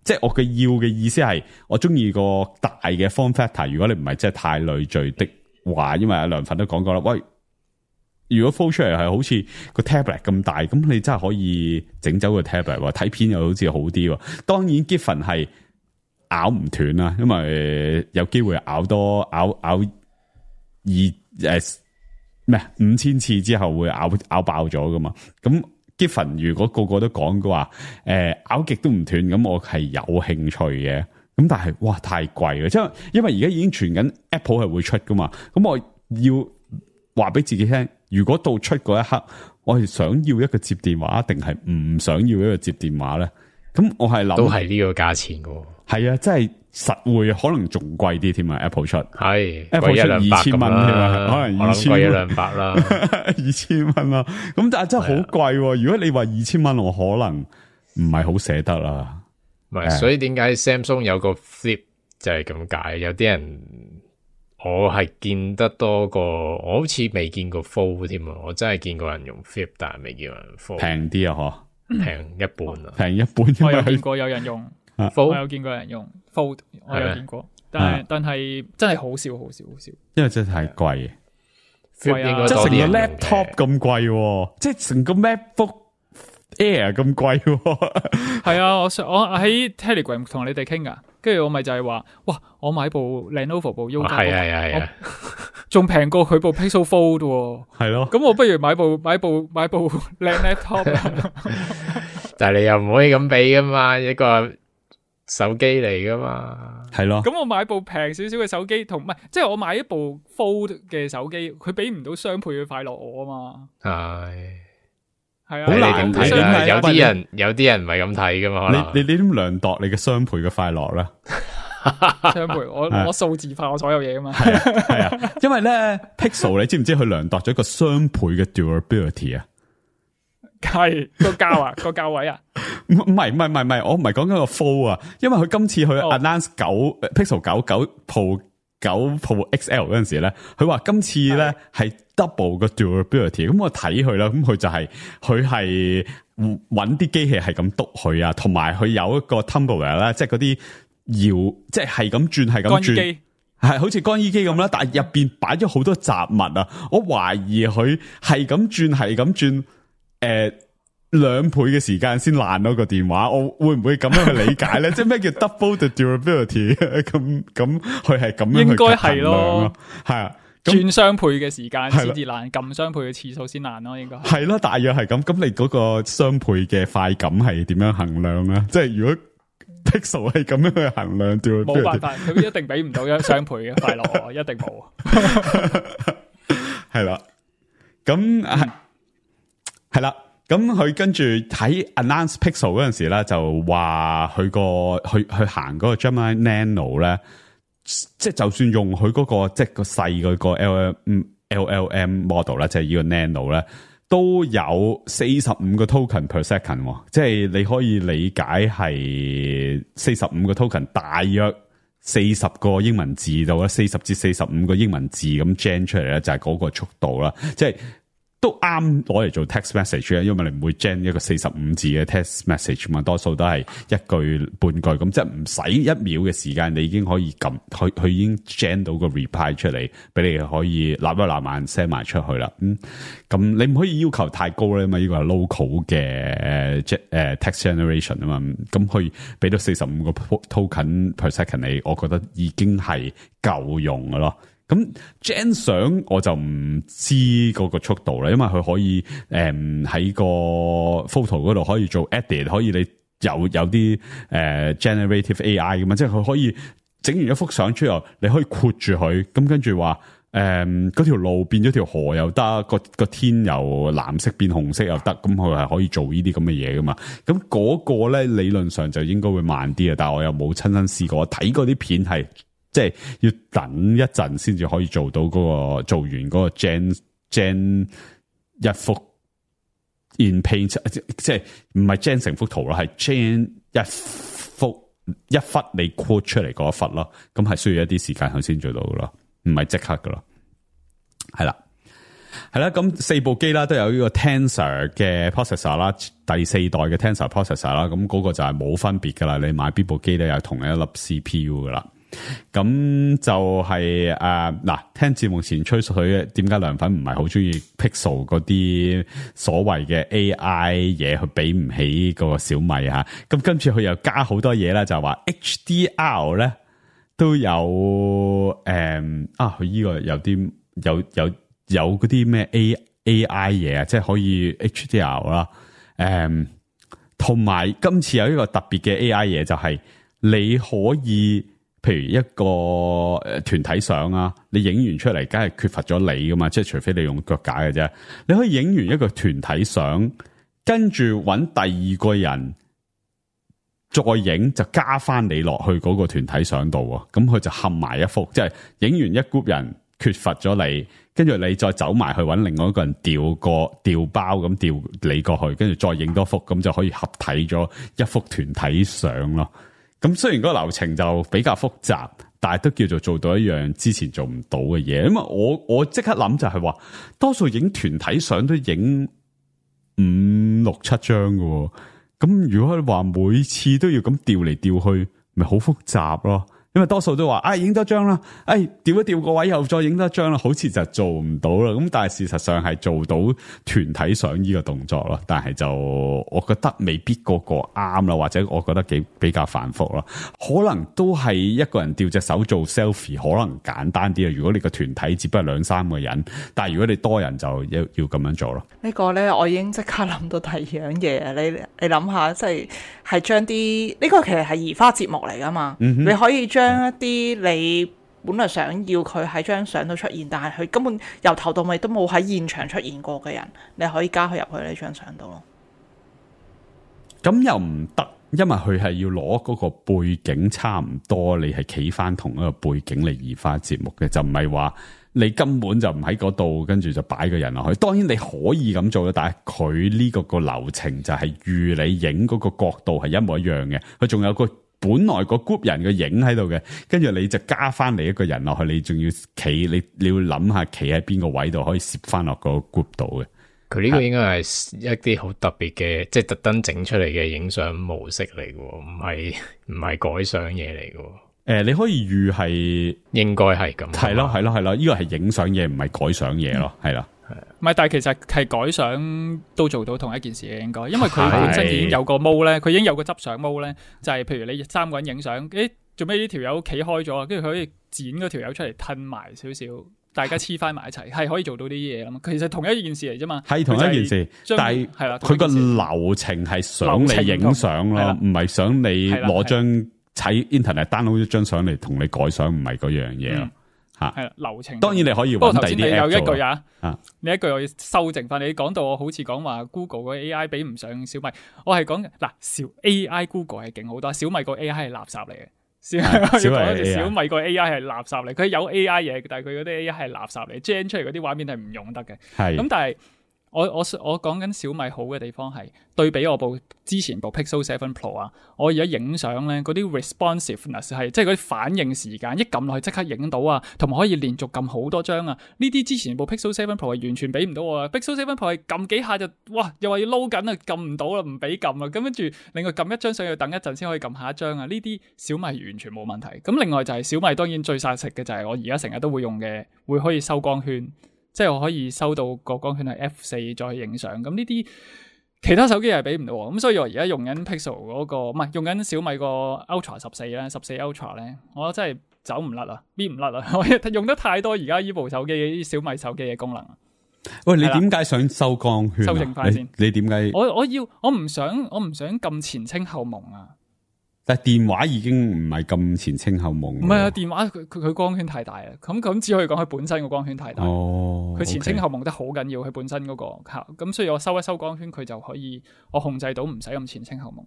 S3: 即係我嘅要嘅意思係我中意個大嘅 form factor， 如果你唔係真係太累贅的話，因為阿梁粉都講過啦，喂。如果 fold 出嚟係好似個 tablet 咁大，咁你真係可以整走個 tablet， 睇片又好似好啲。當然 Giffen 係咬唔斷啦，因為有機會咬5000次之後會咬爆咗噶嘛。咁 Giffen 如果個個都講嘅話，咬極都唔斷，咁我係有興趣嘅。咁但係哇太貴啦，即係因為而家已經傳緊 Apple 係會出噶嘛，咁我要話俾自己聽。如果到出嗰一刻，我係想要一個接電話，定係唔想要一個接電話咧？咁我係諗
S5: 都係呢個價錢嘅。
S3: 係啊，真係實會可能仲貴啲添啊 ！Apple 出
S5: 係
S3: Apple 出2000蚊添啊，可能2000
S5: 貴100啦
S3: ，2000蚊啦。咁但係真係好貴。如果你話2000蚊，我可能唔係好捨得啦。
S5: 唔係，所以點解 Samsung 有個 Flip 就係咁解？有啲人。我係見得多過，我好似未見過 Fold 添啊！我真係見過人用 Flip， 但係未見過人 Fold。平啲啊，嗬，平一半啊，平一半。
S1: 我有見過有人用 Fold， 我有見過人用 Fold， 我有見過，但係真係好少，
S3: 因為真係太貴。
S5: Flip 應該
S3: 即係成個
S5: 多啲人用
S3: laptop 咁貴，即係成個 MacBook Air 咁貴。
S1: 係啊，我喺 Telegram 同你哋傾噶。跟住我咪就係話，哇！我買部 Lenovo 部 U 加，
S5: 係，
S1: 仲平過佢部 Pixel Fold 喎。
S3: 係咯，
S1: 咁我不如買部靚 laptop。
S5: 但係你又唔可以咁比噶嘛，一個手機嚟噶嘛。
S3: 係咯。
S1: 咁我買部平少少嘅手機，同唔係，即係我買一部 Fold 嘅手機，佢俾唔到雙倍嘅快樂我啊嘛。係啊，
S5: 好難睇㗎。有啲人唔係咁睇噶嘛。可能
S3: 你點量度你嘅雙倍嘅快樂咧？
S1: 雙倍，我數字化我所有嘢啊嘛。
S3: 係啊，因為咧 Pixel 你知唔知佢量度咗一個雙倍嘅 durability 啊？
S1: 係個價啊，個價位啊？
S3: 唔係，我唔係講緊個 Fold 啊，因為佢今次去 announce Pixel 9 Pro XL 嗰陣時咧，佢話今次咧係 double 個 durability， 咁我睇佢啦，咁佢就係搵啲機器係咁篤佢啊，同埋佢有一個 tumbler 咧，即係嗰啲搖，即係咁轉，係咁轉，係好似乾衣機咁啦，但係入邊擺咗好多雜物啊，我懷疑佢係咁轉，2倍嘅時間先爛咗個電話，我會唔會咁樣去理解咧？即係咩叫 double the durability？ 咁佢係咁樣去衡量咯，應該係咯，係啊，
S1: 轉雙倍嘅時間先至爛，撳雙倍嘅次數先爛咯，應該
S3: 係咯，大約係咁。咁你嗰個雙倍嘅快感係點樣衡量咧？即係如果 Pixel 係咁樣去衡量 durability，
S1: 冇辦法，佢一定俾唔到一雙倍嘅快樂，一定冇。係
S3: 啦，咁係啦。咁佢跟住喺 announce Pixel 嗰陣時咧，就話佢去行嗰個 Gemini Nano 咧，即係就算用佢嗰個即係個細嗰個 LLM model 啦，即係呢個 Nano 咧，都有45個 token per second，即係你可以理解係45個 token，大約40個英文字到啦，40至45個英文字咁 gen 出嚟咧，就係嗰個速度啦，即係。都啱攞嚟做 text message 啊，因為你唔會 gen 一個45字嘅 text message 嘛，多數都係一句半句咁，即係唔使1秒嘅時間，你已經可以撳佢已經 gen 到個 reply 出嚟，俾你可以立一立慢 send 埋出去啦。咁你唔可以要求太高咧嘛，呢個係 local 嘅text generation 啊嘛，咁可以俾到45個 token per second 你，我覺得已經係夠用嘅咯。咁 gen 相我就唔知嗰個速度啦，因為佢可以喺個 photo 嗰度可以做 edit， 可以你有啲generative AI 噶嘛，即係佢可以整完一幅相出嚟，你可以括住佢，咁跟住話嗰條路變咗條河又得，個天由藍色變紅色又得，咁佢係可以做呢啲咁嘅嘢噶嘛。咁嗰個咧理論上就應該會慢啲啊，但係我又冇親身試過，睇嗰啲片係。即係要等一陣先至可以做到嗰個做完嗰個 gen 一幅 in paint， 即係唔係 gen 成幅圖咯，係 gen 一忽你 quote 出嚟嗰一忽咯，咁係需要一啲時間佢先做到噶咯，唔係即刻噶咯。係啦，咁4部機啦都有呢個 Tensor 嘅 processor 啦，第4代嘅 Tensor processor 啦，咁嗰個就係冇分別噶啦，你買邊部機咧有同一粒 CPU 噶啦。咁就係嗱，聽節目前吹水，點解涼粉唔係好中意 Pixel 嗰啲所謂嘅 AI 嘢，佢比唔起個小米吓。咁今次佢又加好多嘢啦，就話 HDR 咧都有佢呢個有啲有嗰啲咩 AI 嘢啊，即係可以 HDR 啦。同埋今次有一個特別嘅 AI 嘢，就係你可以。譬如一個團體相啊，你影完出嚟，梗係缺乏咗你噶嘛，即係除非你用腳架嘅啫。你可以影完一個團體相，跟住揾第二個人再影，就加翻你落去嗰個團體相度啊。咁佢就合埋一幅，即係影完一 group 人缺乏咗你，跟住你再走埋去揾另外一個人調包咁調你過去，跟住再影多幅，咁就可以合體咗一幅團體相咯。咁雖然嗰個流程就比較複雜，但係都叫做做到一樣之前做唔到嘅嘢。因為我即刻諗就係話，多數影團體相都影5、6、7張喎。咁如果佢話每次都要咁調嚟調去，咪好複雜咯。因為多數都話，影多張啦，調一調個位又再影多張啦，好似就做唔到啦。咁但係事實上係做到團體相呢個動作咯，但係就我覺得未必個個啱啦，或者我覺得比較繁複咯。可能都係一個人調隻手做 selfie，可能簡單啲啊。如果你個團體只不過2、3個人，但係如果你多人就要咁樣做咯。
S4: 呢個咧，我已經即刻諗到第二樣嘢。你諗下，即係將啲呢個其實係移花接木嚟噶嘛，你可以將一啲你本來想要佢喺張相度出現，但係佢根本由頭到尾都冇喺現場出現過嘅人，你可以加佢入去呢張相度咯。
S3: 咁又唔得，因為佢係要攞嗰個背景差唔多，你係企翻同一個背景嚟移花接木嘅，就唔係話你根本就唔喺嗰度，跟住就擺個人落去。當然你可以咁做嘅，但係佢呢個流程就係預你影嗰個角度係一模一樣嘅，佢仲有個本來個 group 人嘅影喺度嘅，跟住你就加翻你一個人落去，你仲要企，你要諗下企喺邊個位度可以攝翻落個 group 度嘅。佢
S5: 呢個應該係一啲好特別嘅，即係特登整出嚟嘅影相模式嚟嘅，唔係改相嘢嚟嘅。
S3: 你可以預係
S5: 應該係咁，
S3: 係咯，呢個係影相嘢，唔係改相嘢咯，係啦。
S1: 唔係，但係其實係改相都做到同一件事嘅，應該，因為佢本身已經有個 mode 咧，佢已經有個執相 mode 咧，就係譬如你3個人影相，做咩呢條友企開咗，跟住佢可以剪嗰條友出嚟褪埋少少，大家黐翻埋一齊，係可以做到啲嘢啦嘛。其實同一件事嚟啫嘛，係
S3: 同一件事，但係係啦，佢個流程係想你影相咯，唔係想你攞張喺 internet download 一張相嚟同你改相，唔係嗰樣嘢咯。
S1: 係啦，流程
S3: 當然你可以揾第啲 app 做。不過頭先你有一句
S1: 你一句我要修正翻。你講到我好似講話 Google 個 AI 比唔上小米，我係講嗱，AI Google 係勁好多，小米個 AI 係垃圾嚟嘅。小米個 AI 係垃圾嚟，佢有 AI 嘢，但係佢嗰啲 AI 係垃圾嚟 ，gen 出嚟嗰啲畫面係唔用得嘅。
S3: 係
S1: 咁，但係我講緊小米好嘅地方係對比我之前部 Pixel 7 Pro 啊，我而家影相咧嗰啲 responsiveness 係即係嗰啲反應時間，一撳落去即刻影到啊，同埋可以連續撳好多張啊。呢啲之前部 Pixel 7 Pro 係完全俾唔到我啊。Pixel 7 Pro 係撳幾下就哇，又話要撈緊啊，撳唔到啦，唔俾撳啊。咁跟住另外撳一張相要等一陣先可以撳下一張啊。呢啲小米完全冇問題。咁另外就係小米當然最殺食嘅就係我而家成日都會用嘅，會可以收光圈。即係我可以收到個光圈係 F4 再去影相，咁呢啲其他手機係俾唔到喎，咁所以我而家用緊 Pixel 嗰個，唔係用緊小米個 Ultra 14咧，14 Ultra 咧，我真係走唔甩啊，搣唔甩啊，我用得太多而家呢部手機啲小米手機嘅功能。
S3: 喂，你點解想收光圈啊？
S1: 修正翻先，
S3: 你點解？
S1: 我唔想咁前清後朦啊！
S3: 但係電話已經唔係咁前清後朦。
S1: 唔係啊，電話佢光圈太大啦，咁只可以講佢本身個光圈太大。
S3: 哦，
S1: 佢前清後朦得好緊要，佢本身嗰個嚇，咁所以我收一收光圈，佢就可以我控制到唔使咁前清後朦。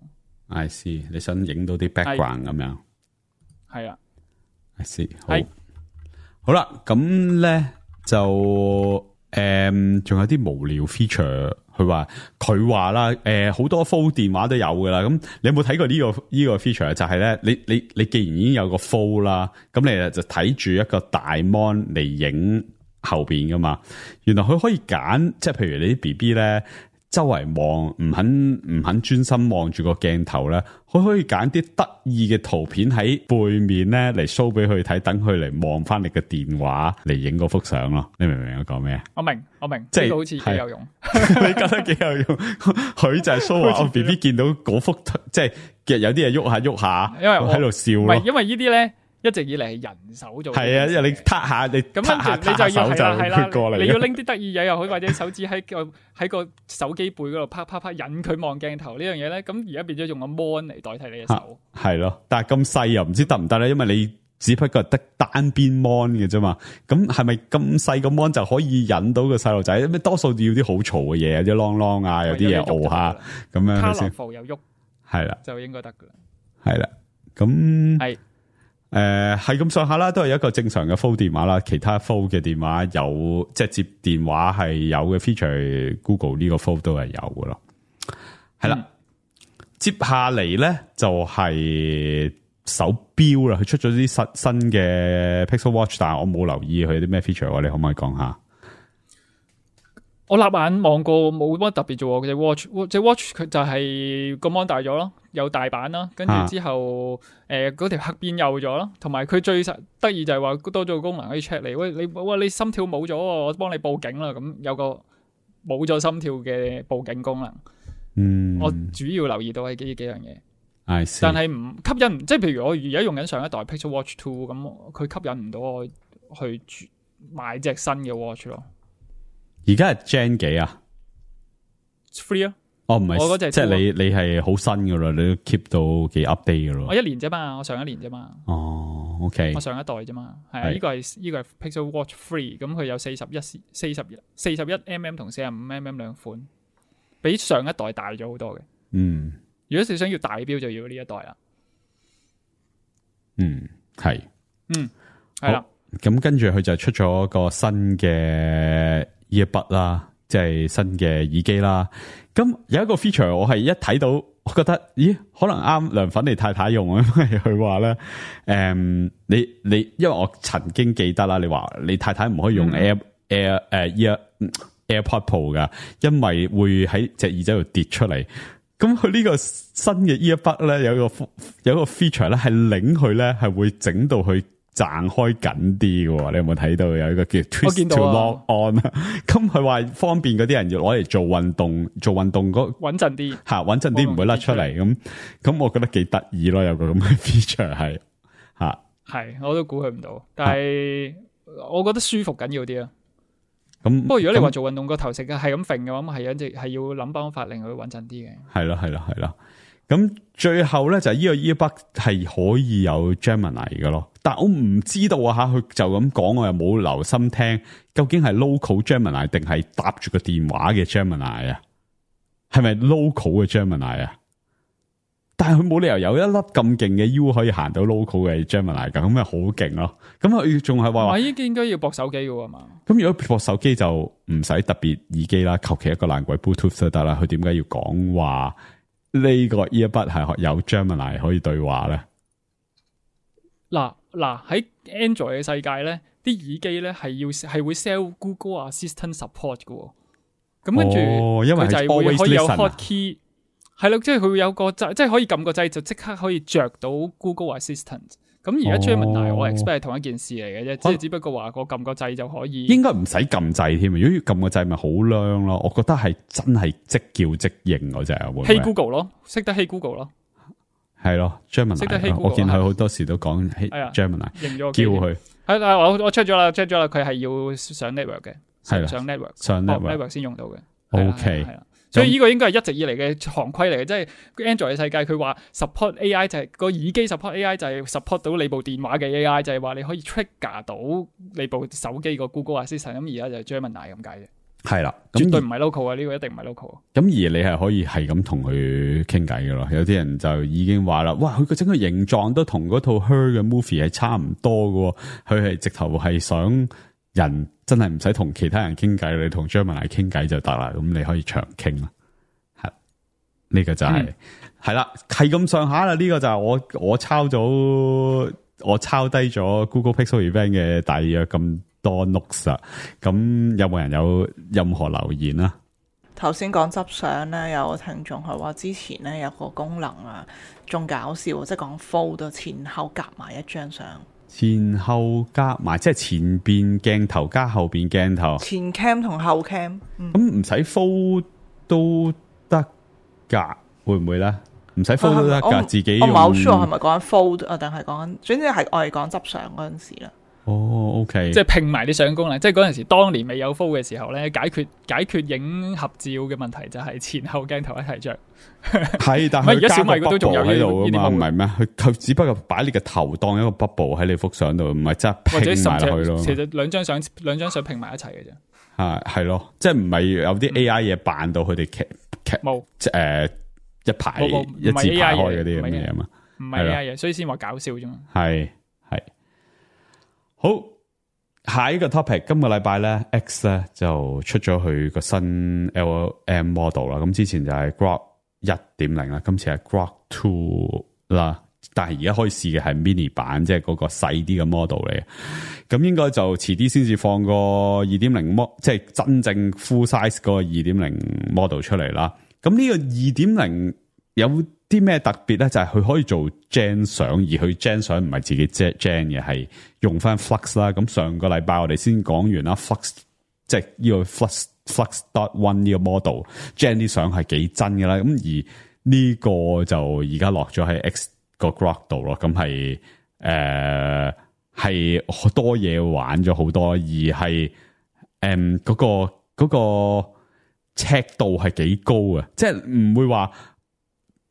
S3: I see，你想影到啲 background 咁樣。
S1: 係啊
S3: I see，好啦，咁咧就仲有啲無聊 feature。佢話啦，好多 Fold 電話都有噶啦。咁你有冇睇過呢個 feature？就係咧，你既然已經有個 Fold 啦，咁你就睇住一個大 mon 嚟影後邊噶嘛。原來佢可以揀，即係譬如你啲 BB 咧，周圍望唔肯專心望住個鏡頭咧，佢可以揀啲得意嘅圖片喺背面咧嚟 show 俾佢睇，等佢嚟望翻你嘅電話嚟影嗰幅相咯。你明唔明我講咩？我明，
S1: 即係好似幾有用。
S3: 你覺得幾有用？佢就係 show 話我 BB 見到嗰幅，即係有啲嘢喐下，因為喺度笑咯。
S1: 唔係，因為呢啲咧一直以嚟係人手做。
S3: 係啊，因為你撻下，你
S1: 咁跟住你就要係啦，
S3: 過嚟。
S1: 你要拎啲得意嘢又好，或者手指喺個手機背嗰度啪啪啪引佢望鏡頭呢樣嘢咧。咁而家變咗用個 mon 嚟代替你嘅手。係
S3: 咯，但係咁細又唔知得唔得咧？因為你只不過得單邊 mon 嘅啫嘛。咁係咪咁細個 mon 就可以引到個細路仔？因為多數要啲好嘈嘅嘢，有啲啷啷啊，有啲嘢熬下咁樣先。
S1: 卡樂符又喐，係啦，就應該得噶啦。
S3: 係啦，咁係。係咁上下啦，都係一個正常嘅 Fold 電話啦。其他 Fold 嘅電話有即係接電話係有嘅 feature，Google 呢個 Fold 都係有嘅咯。係啦，接下嚟咧就係手錶啦。佢出咗啲新嘅 Pixel Watch， 但係我冇留意佢啲咩 feature，你可唔可以講下？
S1: 我立眼望過冇乜特別啫，隻 watch 佢就係個 mon 大咗咯，有大版啦，跟住之後嗰條黑邊幼咗咯，同埋佢最得意就係話多咗個功能可以 check 你，你心跳冇咗，我幫你報警啦，咁有個冇咗心跳嘅報警功能。我主要留意到係呢幾樣嘢，但係唔吸引，即係譬如我而家用緊上一代 Pixel Watch 2，咁佢吸引唔到我去買隻新嘅 watch 咯。
S3: 而家係 Gen 幾啊
S1: ？3啊？
S3: 哦，唔係，
S1: 我嗰隻
S3: 即係你係好新噶啦，你都 keep 到幾 update 噶咯。
S1: 我1年啫嘛，我上1年啫嘛。
S3: 哦 ，OK，
S1: 我上一代啫嘛，係啊，呢個係 Pixel Watch 3，咁佢有41mm 同45mm 兩款，比上一代大咗好多嘅。如果你想要大錶，就要呢一代啦。
S3: 係，
S1: 係啦。
S3: 咁跟住佢就出咗個新嘅 earbud 啦，即係新嘅耳機啦。咁有一個 feature 我係一睇到，我覺得咦，可能啱涼粉你太太用啊，因為佢話咧，你因為我曾經記得啦，你話你太太唔可以用 AirPod Pro 噶，因為會喺隻耳仔度跌出嚟。咁佢呢個新嘅 earbud 咧，有個 feature 咧，係擰佢咧係會整到佢撐開緊啲嘅。你有冇睇到有一個叫 Twist to Lock On 啊？咁佢話方便嗰啲人要攞嚟做運動嗰
S1: 穩陣啲
S3: 吓，穩陣啲唔會甩出嚟。咁我覺得幾得意咯，有個咁嘅 feature 係吓。係
S1: 我都估佢唔到，但係我覺得舒服緊要啲啊。
S3: 咁
S1: 不過如果你話做運動個頭成日係咁揈嘅話，咁係要諗辦法令佢穩陣啲嘅。係
S3: 咯。咁最後咧就係呢個 earbud 係可以有 Gemini 嘅咯，但我唔知道啊吓，佢就咁講，我又冇留心聽，究竟係 local Gemini 定係搭住個電話嘅 Gemini 啊？係咪 local 嘅 Gemini 啊？但係佢冇理由有一粒咁勁嘅 U 可以行到 local 嘅 Gemini 㗎，咁咪好勁咯。咁佢仲係話，
S1: 依啲應該要駁手機嘅喎嘛。
S3: 咁如果駁手機就唔使特別耳機啦，求其一個爛鬼 Bluetooth 都得啦。佢點解要講話呢個 earbud 係有 Gemini 可以對話咧？
S1: 嗱喺 Android 嘅世界咧，啲耳機咧係會 sell Google Assistant support 嘅喎。咁跟住佢就係會可以有 hotkey， 係咯，即係佢會有個掣，即係可以撳個掣就即刻可以着到 Google Assistant。咁而家 Gemini 我 expect 係同一件事嚟嘅啫，即係只不過話我撳個掣就可以。應該
S3: 唔使撳掣添，如果要撳個掣咪好靚咯。我覺得係真係即叫即應嗰隻啊。
S1: Hey Google 咯，識得 Hey Google 咯，
S3: 係咯 Gemini。識得 Hey Google，我見佢好多時都講 Gemini， 叫佢。係啦，我 check 咗啦，佢係要上 network 嘅，上 network 先用到嘅。OK，
S1: 係啦。所以呢個應該係一直以嚟嘅行規嚟嘅，即係 Android 嘅世界，佢話 support AI 就係個耳機 support AI 就係 support 到你部電話嘅 AI， 就係話你可以 trigger 到你部手機個 Google Assistant。咁而家就係 Gemini 咁解啫。係啦，絕對唔係 local 啊，呢個一定唔係 local。咁而你係可以係咁同佢傾偈嘅咯。有啲人就已經話啦，哇！佢個整個形狀都同嗰套 Her 嘅 movie 係差唔多嘅，佢係直頭係想人真係唔使同其他人傾偈，你同 Gemini 傾偈就得啦。咁你可以長傾啦。係呢個就係啦，係咁上下啦。呢個就係我抄低咗 Google Pixel Event 嘅大約咁多 notes 啊。咁有冇人有任何留言啊？
S4: 頭先講執相咧，有個聽眾係話之前咧有個功能啊，仲搞笑，即係講 fold 前後夾埋一張相。
S3: 前後夾埋，即係前邊鏡頭加後邊鏡頭。
S4: 前 cam 同後 cam。
S3: 咁唔使 fold 都得噶，會唔會咧？唔使 fold 都得噶，自己用。
S4: 我唔係好 sure 係咪講緊 fold 啊，定係講緊，總之係我哋講執相嗰陣時啦。
S3: 哦 ，OK，
S1: 即係拼埋啲相功能，即係嗰陣時當年未有 fold 嘅時候咧，解決影合照嘅問題就係前後鏡頭一齊着。
S3: 係，但係
S1: 而家小米都仲有
S3: 喺度
S1: 啊嘛，
S3: 唔係咩？佢只不過擺你個頭當一個 bubble 喺你幅相度，唔係真係拼埋落去咯。
S1: 其實兩張相拼埋一齊嘅啫。
S3: 係咯，即係唔係有啲 AI 嘢扮到佢哋
S1: 冇
S3: 一排一字排開嗰啲咁嘅嘢嘛？
S1: 唔係 AI 嘢，所以先話搞笑啫嘛。
S3: 係。好，下一個 topic， 今個禮拜咧 X 咧就出咗佢個新 LLM model 啦。咁之前就係 Grok 1.0 啦，今次係 Grok 2啦。但係而家可以試嘅係 mini 版，即係嗰個細啲嘅 model 嚟嘅。咁應該就遲啲先至放個 2.0 即係真正 full size 嗰個 2.0 model 出嚟啦。咁呢個 2.0 有啲咩特別咧？就係佢可以做 gen 相，而佢 gen 相唔係自己 gen 嘅，係用翻 Flux 啦。咁上個禮拜我哋先講完啦 ，Flux 即係呢個 Flux.1 呢個 model gen 啲相係幾真嘅啦。咁而呢個就而家落咗喺 X 個 Grok 度咯。咁係好多嘢玩咗好多，而係嗰個尺度係幾高啊！即係唔會話。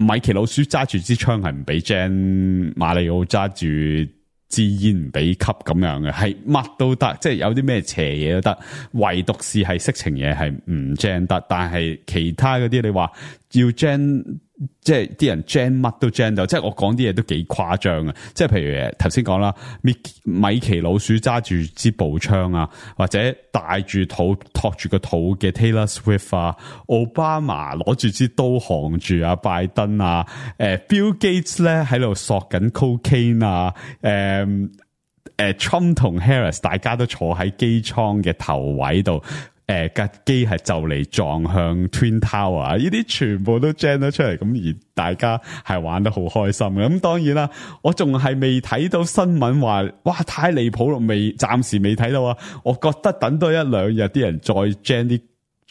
S3: 米奇老鼠揸住支槍係唔俾 Jen， 馬里奧揸住支煙唔俾吸咁樣嘅，係乜都得，即係有啲咩邪嘢都得，唯獨是係色情嘢係唔 Jen 得，但係其他嗰啲你話要 Jen， 即係啲人 Jen 乜都 Jen 到，即係我講啲嘢都幾誇張啊！即係譬如頭先講啦，米奇老鼠揸住支步槍啊，或者帶住肚托住個肚嘅 Taylor Swift 啊，奧巴馬攞住支刀行住啊，拜登啊，Bill Gates 咧喺度索緊 cocaine 啊，Trump 同 Harris 大家都坐喺機艙嘅頭位度。架機係就嚟撞向 Twin Tower， 呢啲全部都 gen 咗出嚟，咁而大家係玩得好開心嘅。咁當然啦，我仲係未睇到新聞話，哇太離譜咯，暫時未睇到啊。我覺得等多一兩日，啲人再 gen 啲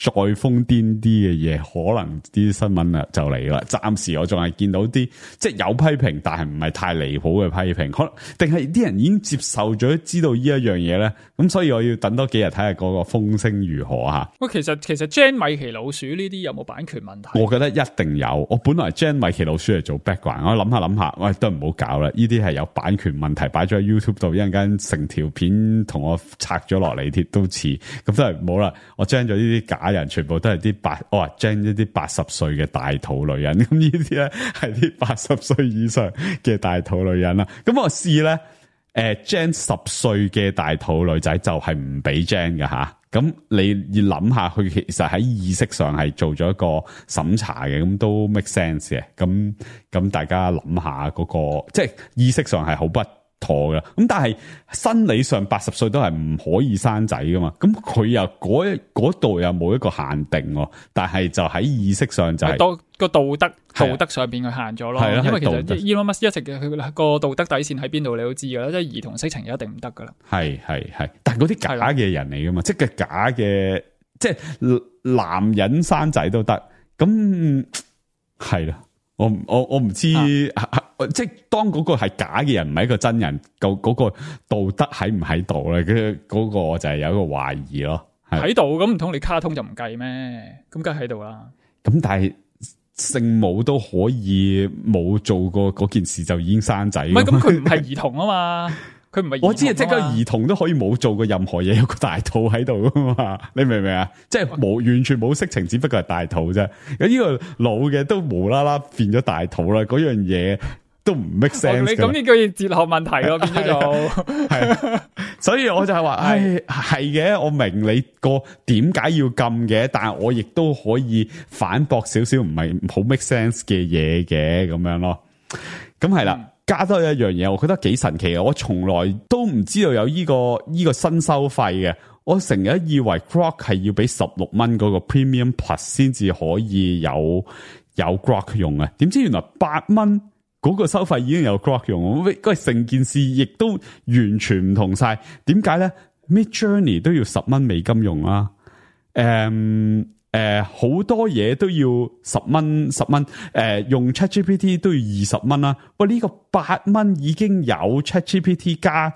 S3: 再瘋癲啲嘅嘢，可能啲新聞啊就嚟啦。暫時我仲係見到啲即係有批評，但係唔係太離譜嘅批評，可能定係啲人已經接受咗，知道呢一樣嘢咧。咁所以我要等多幾日睇下嗰個風聲如何吓。
S1: 喂，其實 Gen 米奇老鼠呢啲有冇版權問題？
S3: 我覺得一定有。我本來 Gen 米奇老鼠嚟做 background， 我諗下，喂都唔好搞啦。呢啲係有版權問題，擺咗喺 YouTube 度，一陣間成條片同我拆咗落嚟貼都似，咁都係唔好啦。我 Gen 咗呢啲假假人全部都係啲我話 gen 一啲80歲嘅大肚女人，咁呢啲咧係啲80歲以上嘅大肚女人啦。咁我試咧，gen 10歲嘅大肚女仔就係唔俾 gen 嘅吓。咁你要諗下，佢其實喺意識上係做咗一個審查嘅，咁都 make sense 嘅。咁大家諗下嗰個，即係意識上係好不妥嘅。咁但係生理上80歲都係唔可以生仔噶嘛。咁佢又嗰度又冇一個限定喎，但係就喺意識上就係
S1: 個道德上邊佢限咗咯。因為其實 Elon Musk 一直嘅佢個道德底線喺邊度，你都知噶啦，即係兒童色情一定唔得噶啦。
S3: 係，但係嗰啲假嘅人嚟噶嘛，即係假嘅，即係男人生仔都得。咁係啦，我唔知，即係當嗰個係假嘅人，唔係一個真人，嗰個道德喺唔喺度咧？嗰個我就係有一個懷疑咯。
S1: 喺度咁唔通你卡通就唔計咩？咁梗係喺度啦。
S3: 咁但係聖母都可以冇做過嗰件事就已經生仔。唔係，
S1: 咁佢唔係兒童啊嘛，佢唔係。我知啊，
S3: 即係個兒童都可以冇做過任何嘢，有個大肚喺度噶嘛？你明唔明啊？即係完全冇色情，只不過係大肚啫。有呢個老嘅都無啦啦變咗大肚啦，嗰樣嘢都唔 make sense。
S1: 你咁呢句哲學問題咯，變咗就
S3: 係。所以我就係話，係嘅，我明你個點解要禁嘅，但係我亦都可以反駁少少唔係好 make sense 嘅嘢嘅咁樣咯。咁係啦，加多一樣嘢，我覺得幾神奇嘅，我從來都唔知道有呢個新收費嘅。我成日以為 Grok 係要俾16蚊嗰個 Premium Plus 先至可以有 Grok 用嘅，點知原來8蚊。嗰個收費已經有 Grok 用，喂，成件事亦都完全唔同晒。點解咧？Midjourney 都要10蚊美金用啦，好多嘢都要10蚊，用 ChatGPT 都要20蚊啦。喂，呢個8蚊已經有 ChatGPT 加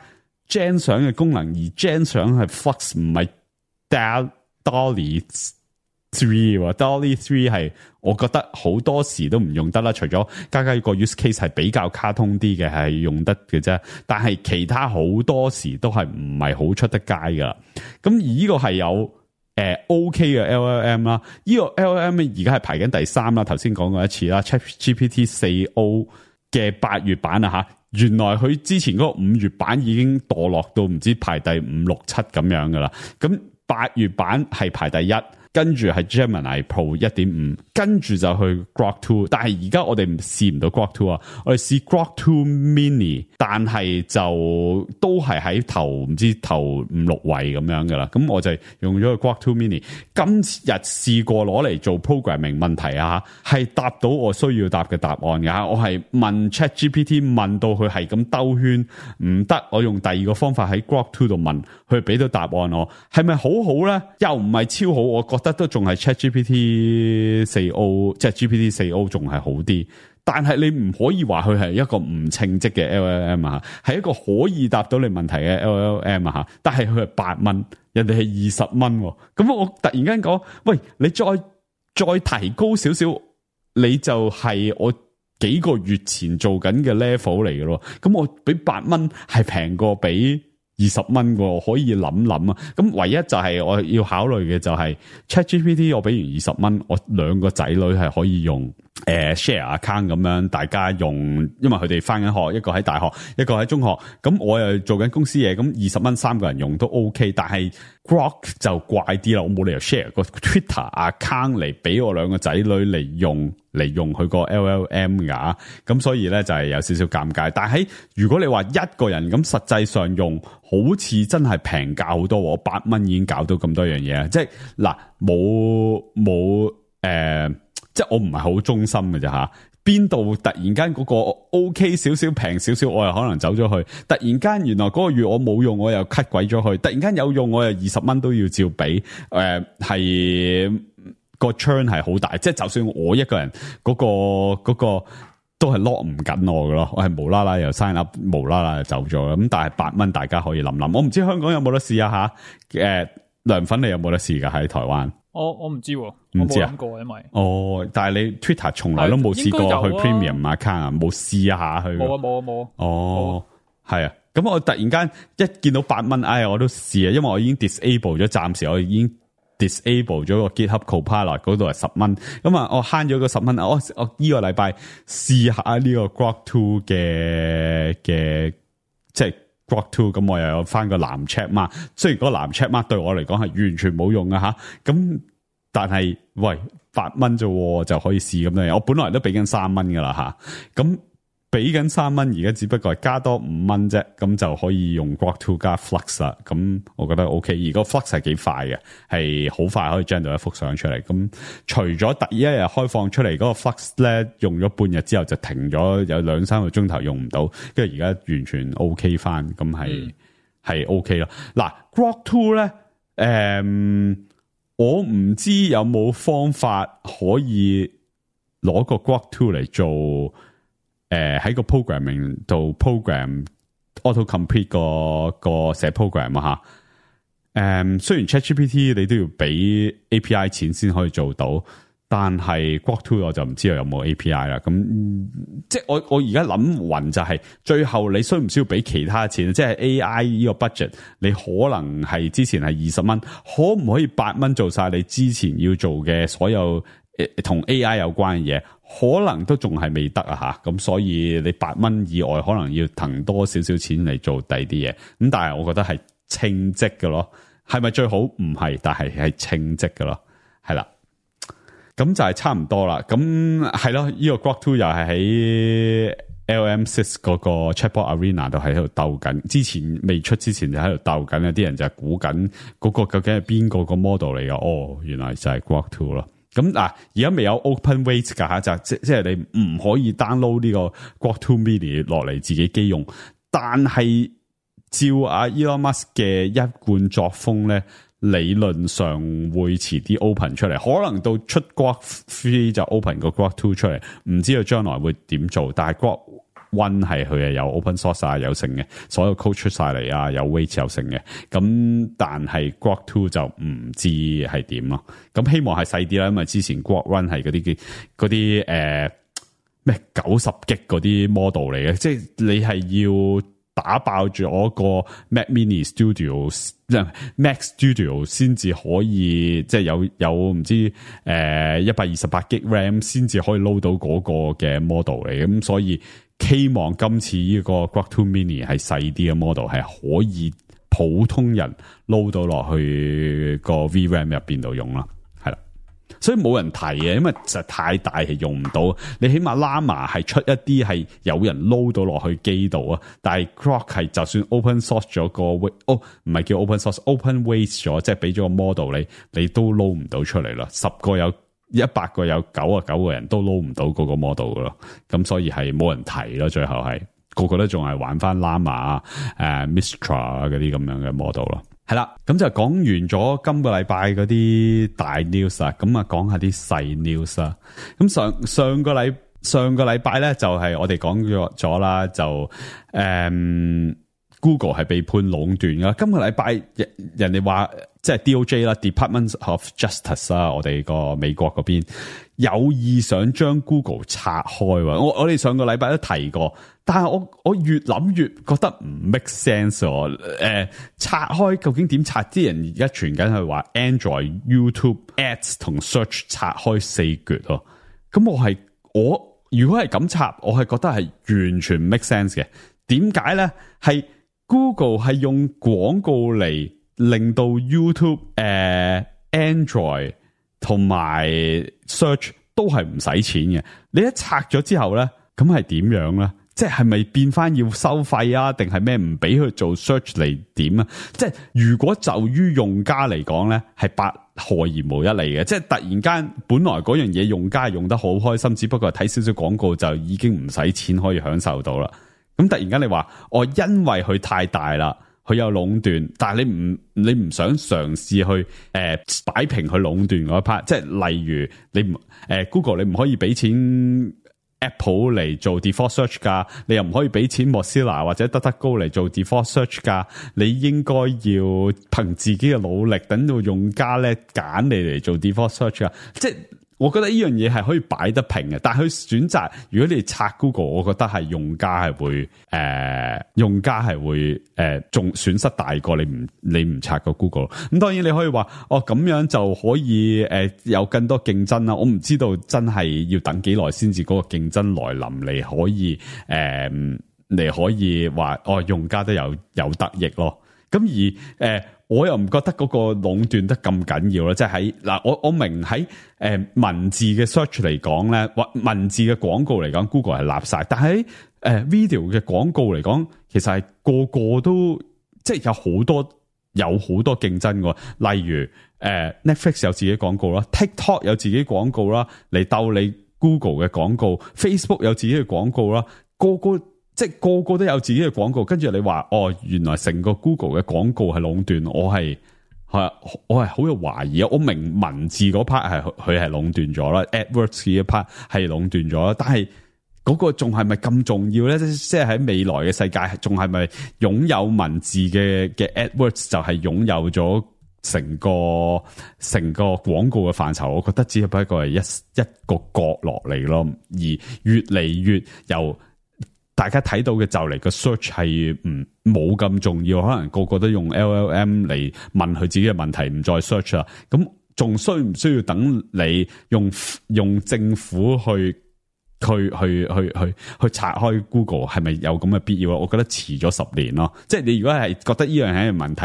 S3: Gen 相嘅功能，而 Gen 相係 Flux 唔係 DALL-E 3，DALL-E 3係我覺得好多時都唔用得啦，除咗加個 use case 係比較卡通啲嘅係用得嘅啫，但係其他好多時都係唔係好出得街噶。咁而呢個係有OK 嘅 LLM 啦，呢個 LLM 而家係排緊第3啦，頭先講過一次啦 ，ChatGPT 4O 嘅8月版啊吓，原來佢之前嗰個5月版已經墮落到唔知排第5、6、7咁樣噶啦，咁8月版係排第1。跟住係 Gemini Pro 1.5，跟住就去 Grok 2，但係而家我哋試唔到 Grok 2啊，我哋試 Grok 2 Mini，但係就都係喺頭5、6位咁樣噶啦，咁我就用咗個 Grok 2 Mini，今日試過攞嚟做 programming 問題啊，係答到我需要答嘅答案㗎，我係問 ChatGPT 問到佢係咁兜圈，唔得，我用第二個方法喺 Grok 2度問，佢俾到答案我，係咪好好咧？又唔係超好，我覺得都仲係 ChatGPT 4O， 即係 GPT 4O 仲係好啲，但係你唔可以話佢係一個唔稱職嘅 LLM 啊，係一個可以答到你問題嘅 LLM 啊，但係佢係8蚊，人哋係20蚊，咁我突然間講，喂，你再提高少少，你就係我幾個月前做緊嘅 level 嚟嘅咯，咁我俾8蚊係平過俾20蚊喎，可以諗啊！咁唯一就係我要考慮嘅就係 ChatGPT， 我俾完20蚊，我2個仔女係可以用share account 咁樣，大家用，因為佢哋返緊學，一個喺大學，一個喺中學，咁我又做緊公司嘢，咁20蚊3個人用都 OK， 但係 Grok 就怪啲啦，我冇理由 share 個 Twitter account 嚟俾我2個仔女嚟用佢個 LLM 噶，咁所以咧就係有少少尷尬。但係如果你話一個人咁，實際上用好似真係平價好多，我8蚊已經搞到咁多樣嘢，即係嗱冇即係我唔係好忠心嘅啫吓。邊度突然間嗰個 OK 少少平少少，我又可能走咗去。突然間原來嗰個月我冇用，我又 cut 鬼咗去。突然間有用，我又20蚊都要照俾。係個 churn 係好大，即係就算我一個人嗰個都係 lock 唔緊我嘅咯。我係無啦啦又 sign up， 無啦啦就走咗。咁但係8蚊大家可以諗諗。我唔知香港有冇得試啊吓？涼粉你有冇得試噶喺台灣？
S1: 我唔知喎，
S3: 唔知啊，
S1: 我冇諗過，因為
S3: 但係你 Twitter 從來都冇試過去 Premium account 啊，冇試下去。
S1: 冇。
S3: 係啊，咁我突然間一見到8蚊，我都試啊，因為我已經 disable 咗，暫時我已經 disable 咗個 GitHub Copilot 嗰度係$10，咁啊我慳咗個$10，我呢個禮拜試下呢個 Grok 2嘅即係 Grok 2，咁我又有翻個藍 check mark，雖然嗰個藍 check mark 對我嚟講係完全冇用啊吓，咁但係喂$8啫就可以試咁樣，我本來都俾緊$3噶啦吓，咁俾緊$3，而家只不過係加多$5啫，咁就可以用 Grok 2加 Flux 啦。咁我覺得 OK，而個 Flux 係幾快嘅，係好快可以 generate 到一幅相出嚟。咁除咗第一日開放出嚟嗰個 Flux 咧，用咗半日之後就停咗，有2-3個鐘頭用唔到，跟住而家完全 OK 翻，咁係 OK 咯。嗱 Grok 2咧，我唔知有冇方法可以攞個 Grok 2嚟做。喺個 programming 度 program auto complete 個寫 program 啊吓，雖然 ChatGPT 你都要俾 API 錢先可以做到，但係 Grok 2我就唔知道有冇 API 啦。咁即係我而家諗暈就係最後你需唔需要俾其他錢？即係 AI 呢個 budget，你可能係之前係$20，可唔可以$8做晒你之前要做嘅所有同 AI 有關嘅嘢？可能都仲係未得啊吓，咁所以你$8以外，可能要騰多少少錢嚟做第啲嘢。咁但係我覺得係稱職嘅咯，係咪最好？唔係，但係稱職嘅咯，係啦。咁就係差唔多啦。咁係咯，呢個 Grok 2又係喺 LM6 嗰個 Chatbot Arena 度喺度鬥緊。之前未出之前就喺度鬥緊，有啲人就係估緊嗰個究竟係邊個 model 嚟㗎？哦，原來就係 Grok 2咯。咁嗱，而家未有 open weight 噶吓，就即係你唔可以 download 呢個 Grok 2 Mini 落嚟自己機用。但係照阿 Elon Musk 嘅一貫作風咧，理論上會遲啲 open 出嚟，可能到出 Grok 3就 open 個 Grok 2出嚟，唔知道將來會點做。但係 Grok 1係佢係有 open source 啊，有成嘅，所有 code 出晒嚟啊，有 weight 有成嘅。咁但係 Grok 2就唔知係點咯。咁希望係細啲啦，因為之前 Grok 1係嗰啲咩90GB嗰啲 model 嚟嘅，即係你係要打爆住我個 Mac Mini Studio、Mac Studio 先至可以，即係有唔知128GB RAM 先至可以 load 到嗰個嘅 model 嚟嘅。咁所以希望今次呢個 Grok 2 Mini 係細啲嘅 model， 係可以普通人 load 到落去個 VRAM 入邊度用啦，係啦。所以冇人提嘅，因為實在太大係用唔到。你起碼 Llama 係出一啲係有人 load 到落去機度啊，但係 Grok 係就算 open source 咗個唔係叫 open source，open weight 咗，即係俾咗個 model 你都 load 唔到出嚟啦。10個有100個有99個人都 load 唔到嗰個 model 噶咯，咁所以係冇人提咯。最後係個個都仲係玩翻 Llama、Mistral 嗰啲咁樣嘅 model 咯。係啦，咁就講完咗今個禮拜嗰啲大 news 啊，咁啊講下啲細 news 啊。咁上個禮拜咧就係我哋講咗啦，就Google 係被判壟斷噶。今個禮拜人哋話即係 DOJ 啦 ，Department of Justice 啦，我哋個美國嗰邊有意想將 Google 拆開。我哋上個禮拜都提過，但係我越諗越覺得唔 make sense。拆開究竟點拆？啲人而家傳緊係話 Android、YouTube、Ads 同 Search 拆開4橛咯。咁我如果係咁拆，我係覺得係完全 make sense 嘅。點解咧？係 Google 係用廣告嚟令到 YouTube、Android 同埋 Search 都係唔使錢嘅。你一拆咗之後咧，咁係點樣咧？即係咪變翻要收費啊？定係咩唔俾佢做 search 嚟點啊？即係如果就於用家嚟講咧，係百害而無一利嘅。即係突然間本來嗰樣嘢用家係用得好開心，只不過睇少少廣告就已經唔使錢可以享受到啦。咁突然間你話因為佢太大啦，佢有壟斷，但係你唔想嘗試去擺平佢壟斷嗰一 part， 即係例如你Google 你唔可以俾錢 Apple 嚟做 default search 噶，你又唔可以俾錢 Mozilla 或者DuckDuckGo嚟做 default search 噶，你應該要憑自己嘅努力，等到用家咧揀你嚟做 default search 噶。即係我覺得呢樣嘢係可以擺得平嘅，但係佢選擇如果你拆 Google， 我覺得係用家係會仲損失大過你唔拆個 Google。咁當然你可以話咁樣就可以有更多競爭啦。我唔知道真係要等幾耐先至嗰個競爭來臨嚟可以話用家都有得益咯。咁而我又唔覺得嗰個壟斷得咁緊要啦，即係喺嗱，我明喺文字嘅 search 嚟講咧，或文字嘅廣告嚟講 ，Google 係立晒，但係video 嘅廣告嚟講，其實係個個都即係有好多競爭嘅，例如Netflix 有自己廣告啦 ，TikTok 有自己廣告啦，嚟鬥你 Google 嘅廣告 ，Facebook 有自己嘅廣告啦，個個都有自己嘅廣告，跟住你話原來成個 Google 嘅廣告係壟斷，我係好有懷疑啊！我明文字嗰 part 佢係壟斷咗啦 ，AdWords 呢一 part 係壟斷咗啦，但係嗰個仲係咪咁重要咧？即係喺未來嘅世界，仲係咪擁有文字嘅 AdWords 就係擁有咗成個廣告嘅範疇？我覺得只不過係一個角落嚟咯，而越嚟越由大家睇到嘅就嚟個 search 係冇咁重要，可能個個都用 LLM 嚟問佢自己嘅問題，唔再 search 啦。咁仲需唔需要等你用政府去拆開 Google 係咪有咁嘅必要？我覺得遲咗10年咯。即係你如果係覺得呢樣係一個問題，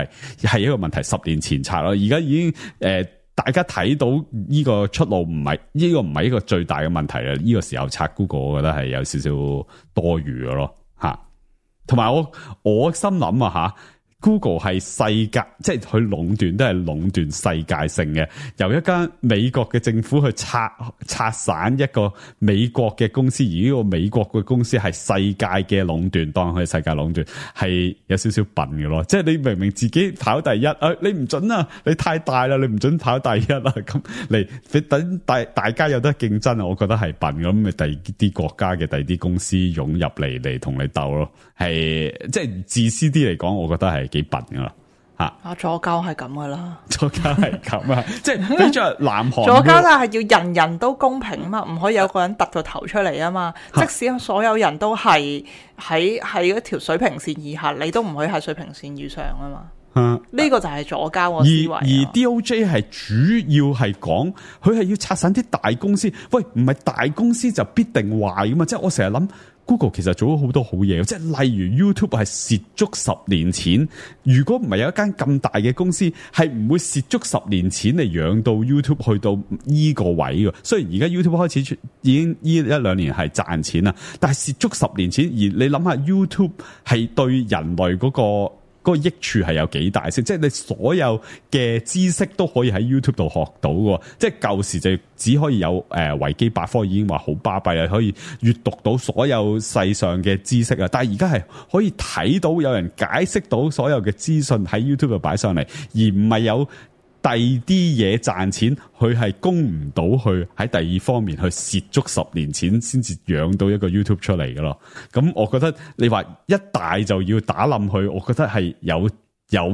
S3: 係一個問題10年前拆咯。而家已經大家睇到呢個出路唔係一個最大嘅問題啦。呢個時候拆 Google， 我覺得係有少少多餘嘅咯嚇。同埋我心諗啊嚇。Google 係世界，即係佢壟斷都係壟斷世界性嘅。由一間美國嘅政府去拆散一個美國嘅公司，而呢個美國嘅公司係世界嘅壟斷，當佢係世界壟斷，係有少少笨嘅咯。即係你明明自己跑第一，你唔准啊，你太大啦，你唔准跑第一啦，咁嚟等大家有得競爭啊，我覺得係笨咁，咪第二啲國家嘅第二啲公司湧入嚟同你鬥咯，係即係自私啲嚟講，我覺得係幾笨噶啦吓，
S4: 左膠係咁噶啦，
S3: 左膠係咁啊，即係比咗南韓
S4: 左膠但係要人人都公平啊嘛，唔可以有個人突個頭出嚟啊嘛，即使所有人都係喺一條水平線以下，你都唔可以喺水平線以上啊嘛。呢個就係左膠個思維。
S3: 而 DOJ 係主要係講佢係要拆散啲大公司，喂，唔係大公司就必定壞噶嘛？即係我成日諗 Google 其實做咗好多好嘢，即係例如 YouTube 係蝕足10年錢，如果唔係有一間咁大嘅公司，係唔會蝕足10年錢嚟養到 YouTube 去到依個位嘅。雖然而家 YouTube 開始已經呢1-2年係賺錢啦，但係蝕足10年錢，而你諗下 YouTube 係對人類嗰個益處係有幾大先？即係你所有嘅知識都可以喺 YouTube 度學到嘅，即係舊時就只可以有維基百科已經話好巴閉啦，可以閱讀到所有世上嘅知識啊！但係而家係可以睇到有人解釋到所有嘅資訊喺 YouTube 度擺上嚟，而唔係有第二啲嘢賺錢，佢係供唔到去喺第二方面去蝕足10年錢先至養到一個 YouTube 出嚟嘅咯。咁我覺得你話一大就要打冧佢，我覺得係有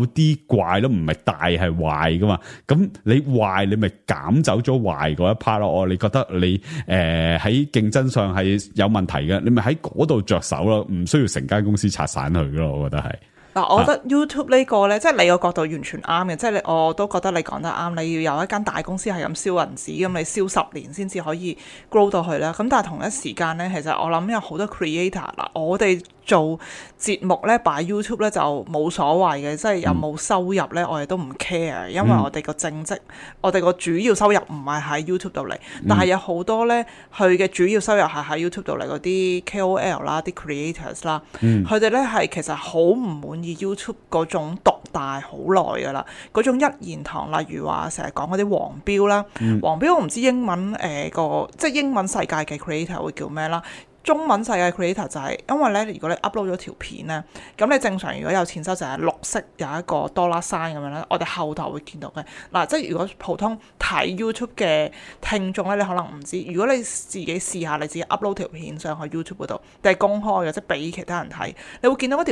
S3: 啲怪咯，唔係大係壞噶嘛。咁你壞你咪減走咗壞嗰一 part 咯。你覺得你喺競爭上係有問題嘅，你咪喺嗰度着手咯，唔需要成間公司拆散佢咯。我覺得係。
S4: 嗱，我覺得 YouTube 呢個呢，即係你個角度完全啱嘅，即係我都覺得你講得啱。你要有一間大公司係咁燒銀紙，咁你燒10年先至可以 grow 到去啦。咁但係同一時間呢，其實我諗有好多 creator 啦，我哋做節目呢，擺 YouTube 呢就冇所謂嘅，即係有冇收入呢，我哋都唔 care，因為我哋個正職，我哋個主要收入唔係喺 YouTube 度嚟，但係有好多呢，佢嘅主要收入係喺 YouTube 度嚟嗰啲 KOL 啦、啲 creators 啦，佢哋呢係其實好唔滿意 YouTube 嗰種獨大好耐噶啦，嗰種一言堂，例如話成日講嗰啲黃標啦，黃標我唔知英文即係英文世界嘅 creator 會叫咩啦。中文世界 creator 就係因為咧，如果你 upload 咗條片咧，咁你正常如果有錢收就係綠色有一個$sign咁樣咧，我哋後台會見到嘅。嗱，即係如果普通睇 YouTube 嘅聽眾咧，你可能唔知。如果你自己試下，你自己 upload 條片上去 YouTube 嗰度，定係公開嘅，即係俾其他人睇，你會見到嗰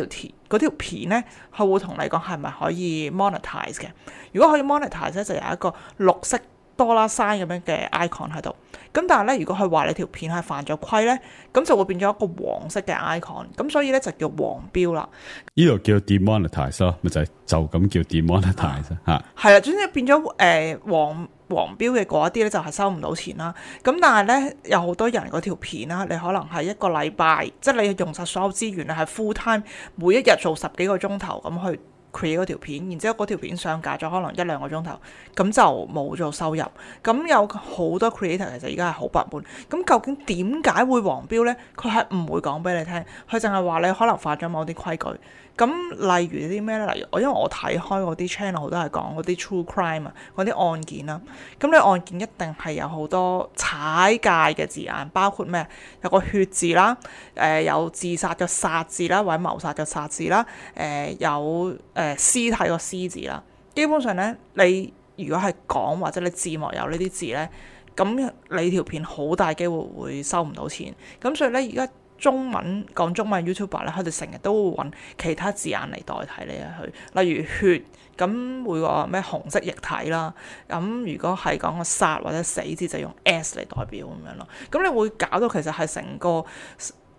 S4: 條片咧，佢會同你講係咪可以 monetize 嘅。如果可以 monetize 咧，就有一個綠色 $sign 咁樣嘅 icon 喺度。咁但係咧，如果佢話你條片係犯咗規咧，咁就會變咗一個黃色嘅 icon， 咁所以咧就叫黃標啦。
S3: 呢度叫 demonetize 咯，咪就咁叫 demonetize 嚇。
S4: 係啦，總之變咗黃標嘅嗰一啲咧就係收唔到錢啦。咁但係咧有好多人嗰條片啦，你可能係一個禮拜，即係你用晒所有資源，你係 full time， 每一日做10幾個鐘頭咁去create 嗰條片，然之後嗰條片上架咗可能1-2個鐘頭，咁就冇做收入。咁有好多 creator 其實而家係好不滿。咁究竟點解會黃標呢？佢係唔會講俾你聽，佢淨係話你可能犯咗某啲規矩。咁例如啲咩呢？例如因為我睇開嗰啲 channel 好多係講嗰啲 true crime 啊，嗰啲案件啦。咁你案件一定係有好多踩界嘅字眼，包括咩？有個血字啦，有自殺嘅殺字啦，或者謀殺嘅殺字啦，有屍體個屍字啦。基本上呢，你如果係講或者你字幕有呢啲字呢，咁你條片好大機會會收唔到錢。咁所以呢，而家講中文 YouTuber 咧，佢哋成日都會揾其他字眼嚟代替呢一去，例如血，咁會個咩紅色液體啦。咁如果係講個殺或者死字，就用 S 嚟代表咁樣咯。咁你會搞到其實係成個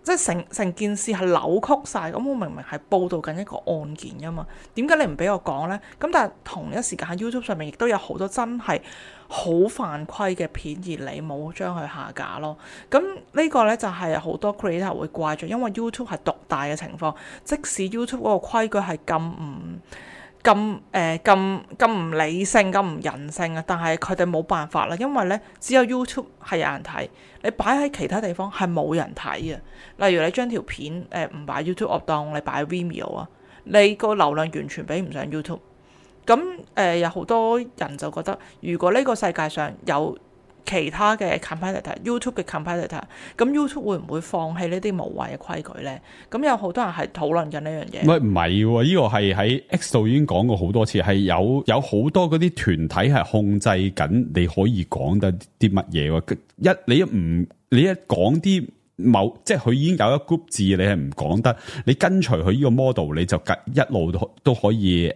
S4: 即係成件事係扭曲晒。咁我明明係報導緊一個案件㗎嘛，點解你唔俾我講呢？咁但係同一時間喺 YouTube 上面亦都有好多真係好犯規嘅片，而你冇將佢下架咯。咁呢個呢，就係好多 creator 會怪罪，因為 YouTube 係獨大嘅情況，即使 YouTube 嗰個規矩係咁唔理性、咁唔人性啊，但係佢哋冇辦法啦，因為呢，只有 YouTube 係有人睇，你擺喺其他地方係冇人睇嘅。例如你將條片唔擺 YouTube， 我當你擺 Vimeo 啊，你個流量完全比唔上 YouTube。咁有好多人就覺得，如果呢個世界上有其他嘅 competitor，YouTube 嘅 competitor， 咁 YouTube 會唔會放棄呢啲無謂嘅規矩呢？咁有好多人係討論緊呢樣嘢。
S3: 唔係喎，呢個係喺 X 度已經講過好多次，係有好多嗰啲團體係控制緊你可以講得啲乜嘢喎。你一講啲即係佢已經有一 group 字，你係唔講得，你跟隨佢呢個 model， 你就一路都可以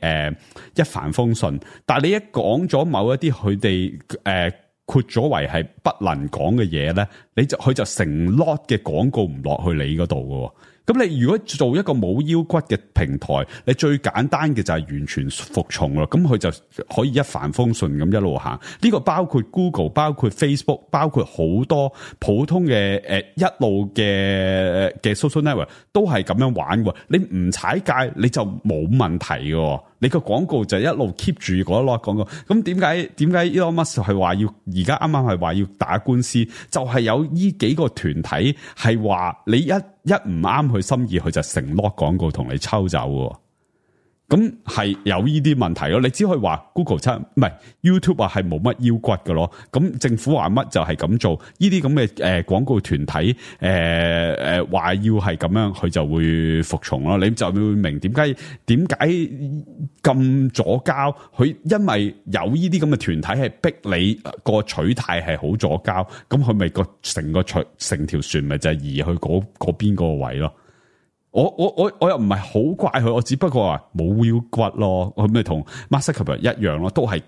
S3: 一帆風順。但係你一講咗某一啲佢哋括咗為係不能講嘅嘢咧，佢就成 lot 嘅廣告唔落去你嗰度嘅。咁你如果做一個冇腰骨嘅平台，你最簡單嘅就係完全服從咯。咁佢就可以一帆風順咁一路行。呢個包括 Google、包括 Facebook、包括好多普通嘅一路嘅 social network 都係咁樣玩嘅。你唔踩界你就冇問題嘅。你個廣告就一路 keep 住嗰一 lot 廣告。咁點解 Elon Musk 係話要而家啱啱係話要打官司？就係有呢幾個團體係話你一唔啱佢心意，佢就成 lot 廣告同你抽走喎。咁係有呢啲問題咯。你只可以話 Google 唔係 YouTube 係冇乜腰骨嘅咯。咁政府話乜就係咁做。呢啲咁嘅廣告團體話要係咁樣，佢就會服從咯。你就會明點解咁左膠。佢因為有呢啲咁嘅團體係逼你個取態係好左膠，咁佢咪成條船咪就係移去嗰邊個位咯。我又唔係好怪佢，我只不過話冇腰骨咯，佢咪同 Mark Zuckerberg 一樣咯，都係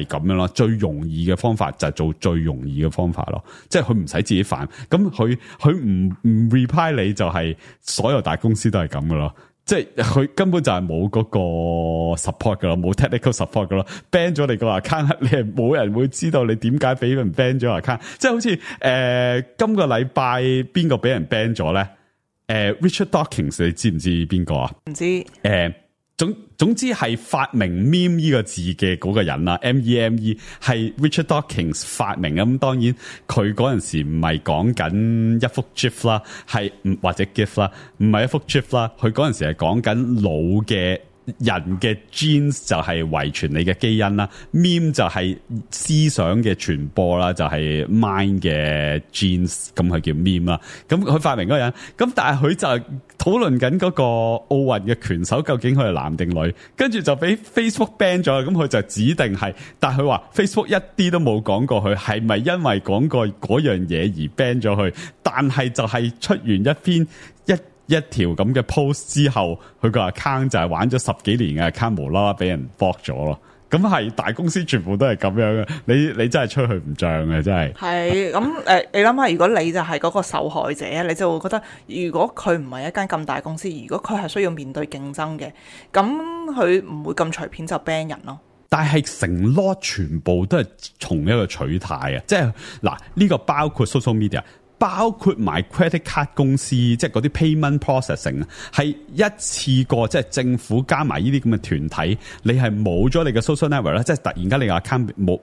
S3: 咁樣咯。最容易嘅方法就係做最容易嘅方法咯，即係佢唔使自己煩，咁佢唔 reply 你就係所有大公司都係咁噶咯，即係佢根本就係冇嗰個 support 噶咯，冇 technical support 噶咯 ，ban 咗你個 account， 你係冇人會知道你點解俾人 ban 咗 account， 即係好似今個禮拜邊個俾人 ban 咗咧？Richard Dawkins 你知唔知邊個啊？唔
S4: 知。
S3: 總之係發明 meme 呢個字嘅嗰個人啦 ，meme 係 Richard Dawkins 發明。咁當然佢嗰陣時唔係講緊一幅 GIF 啦，或者 GIF 啦，唔係一幅 GIF 啦，佢嗰陣時係講緊老嘅人嘅 genes 就係遺傳你嘅基因啦 ，meme 就係思想嘅傳播啦，就係 mind 嘅 genes， 咁佢叫 meme 啦。咁佢發明嗰個人，咁但係佢就討論緊嗰個奧運嘅拳手究竟佢係男定女，跟住就俾 Facebook ban 咗，咁佢就指定係，但係佢話 Facebook 一啲都冇講過佢係咪因為講過嗰樣嘢而 ban 咗佢，但係就係出完一條咁嘅 post 之後，佢個 account 就係玩咗10幾年嘅 account 無啦啦俾人 block 咗咯。咁係大公司全部都係咁樣嘅，你真係出去唔漲嘅，真係。
S4: 係咁你諗下，如果你就係嗰個受害者，你就會覺得，如果佢唔係一間咁大公司，如果佢係需要面對競爭嘅，咁佢唔會咁隨便就 ban 人咯。
S3: 但係成 lot 全部都係從一個取態啊，即係嗱呢個包括 social media。包括埋 credit card 公司，即係嗰啲 payment processing 啊，係一次過，即係政府加埋呢啲咁嘅團體，你係冇咗你嘅 social network 啦，即係突然間你個 account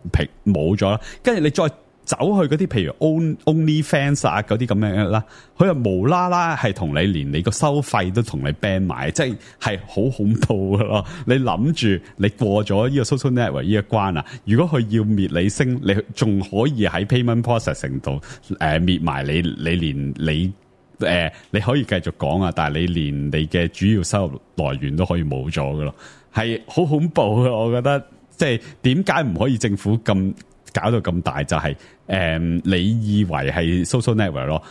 S3: 冇咗啦，跟住你再走去嗰啲譬如 OnlyFans 啊嗰啲咁樣啦，佢又無啦啦係同你連你個收費都同你 ban 埋，即係好恐怖噶咯！你諗住你過咗呢個 social network 呢一關啊，如果佢要滅你聲，你仲可以喺 payment processing 度滅埋你連你可以繼續講啊，但係你連你嘅主要收入來源都可以冇咗噶咯，係好恐怖嘅。我覺得即係點解唔可以政府咁搞到咁大，就係你以為係 social network 咯，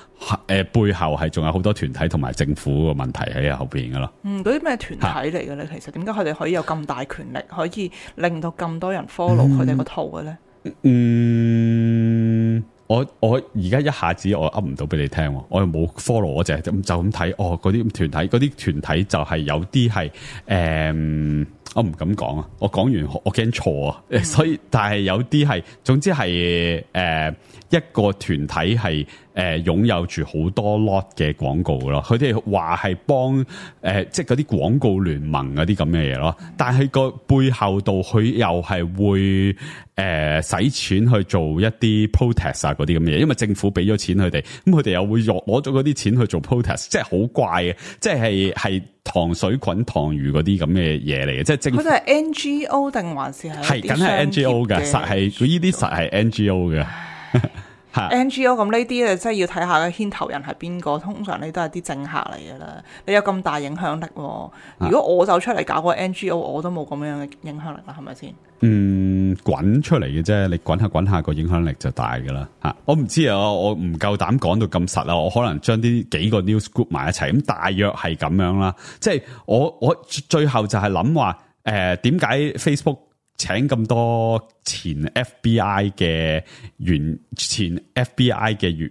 S3: 背後係仲有好多團體同埋政府個問題喺後邊噶咯。
S4: 嗰啲咩團體嚟嘅咧？其實點解佢哋可以有咁大權力，可以令到咁多人 follow 佢哋個套嘅咧？
S3: 我而家一下子我噏唔到俾你聽，我又冇 follow，我就咁睇。嗰啲團體就係有啲係我唔敢講啊！我講完我驚錯啊！所以但係有啲係，總之係一個團體係擁有住好多 lot 嘅廣告咯。佢哋話係幫即係嗰啲廣告聯盟嗰啲咁嘅嘢咯。但係個背後度佢又係會使錢去做一啲 protest 啊嗰啲咁嘅嘢，因為政府俾咗錢佢哋，咁佢哋又會攞咗嗰啲錢去做 protest，即係好怪嘅，即係糖水滾糖魚嗰啲咁嘅嘢嚟嘅，即係政府。佢哋
S4: 係 NGO 定還是係
S3: 梗係 NGO 嘅，實係佢呢啲實係 NGO 嘅。
S4: NGO 咁呢啲真係要睇下嘅牽頭人係邊個，通常你都係啲政客嚟㗎啦。你有咁大影響力，如果我走出嚟搞個 NGO，我都冇咁樣嘅影響力啦，係咪先？
S3: 滾出嚟嘅啫，你滾下個影響力就大㗎啦嚇。我唔知啊，我唔夠膽講到咁實啦，我可能將啲幾個 news group 埋一齊，咁大約係咁樣啦。即係我最後就係諗話點解 Facebook請咁多前 FBI 嘅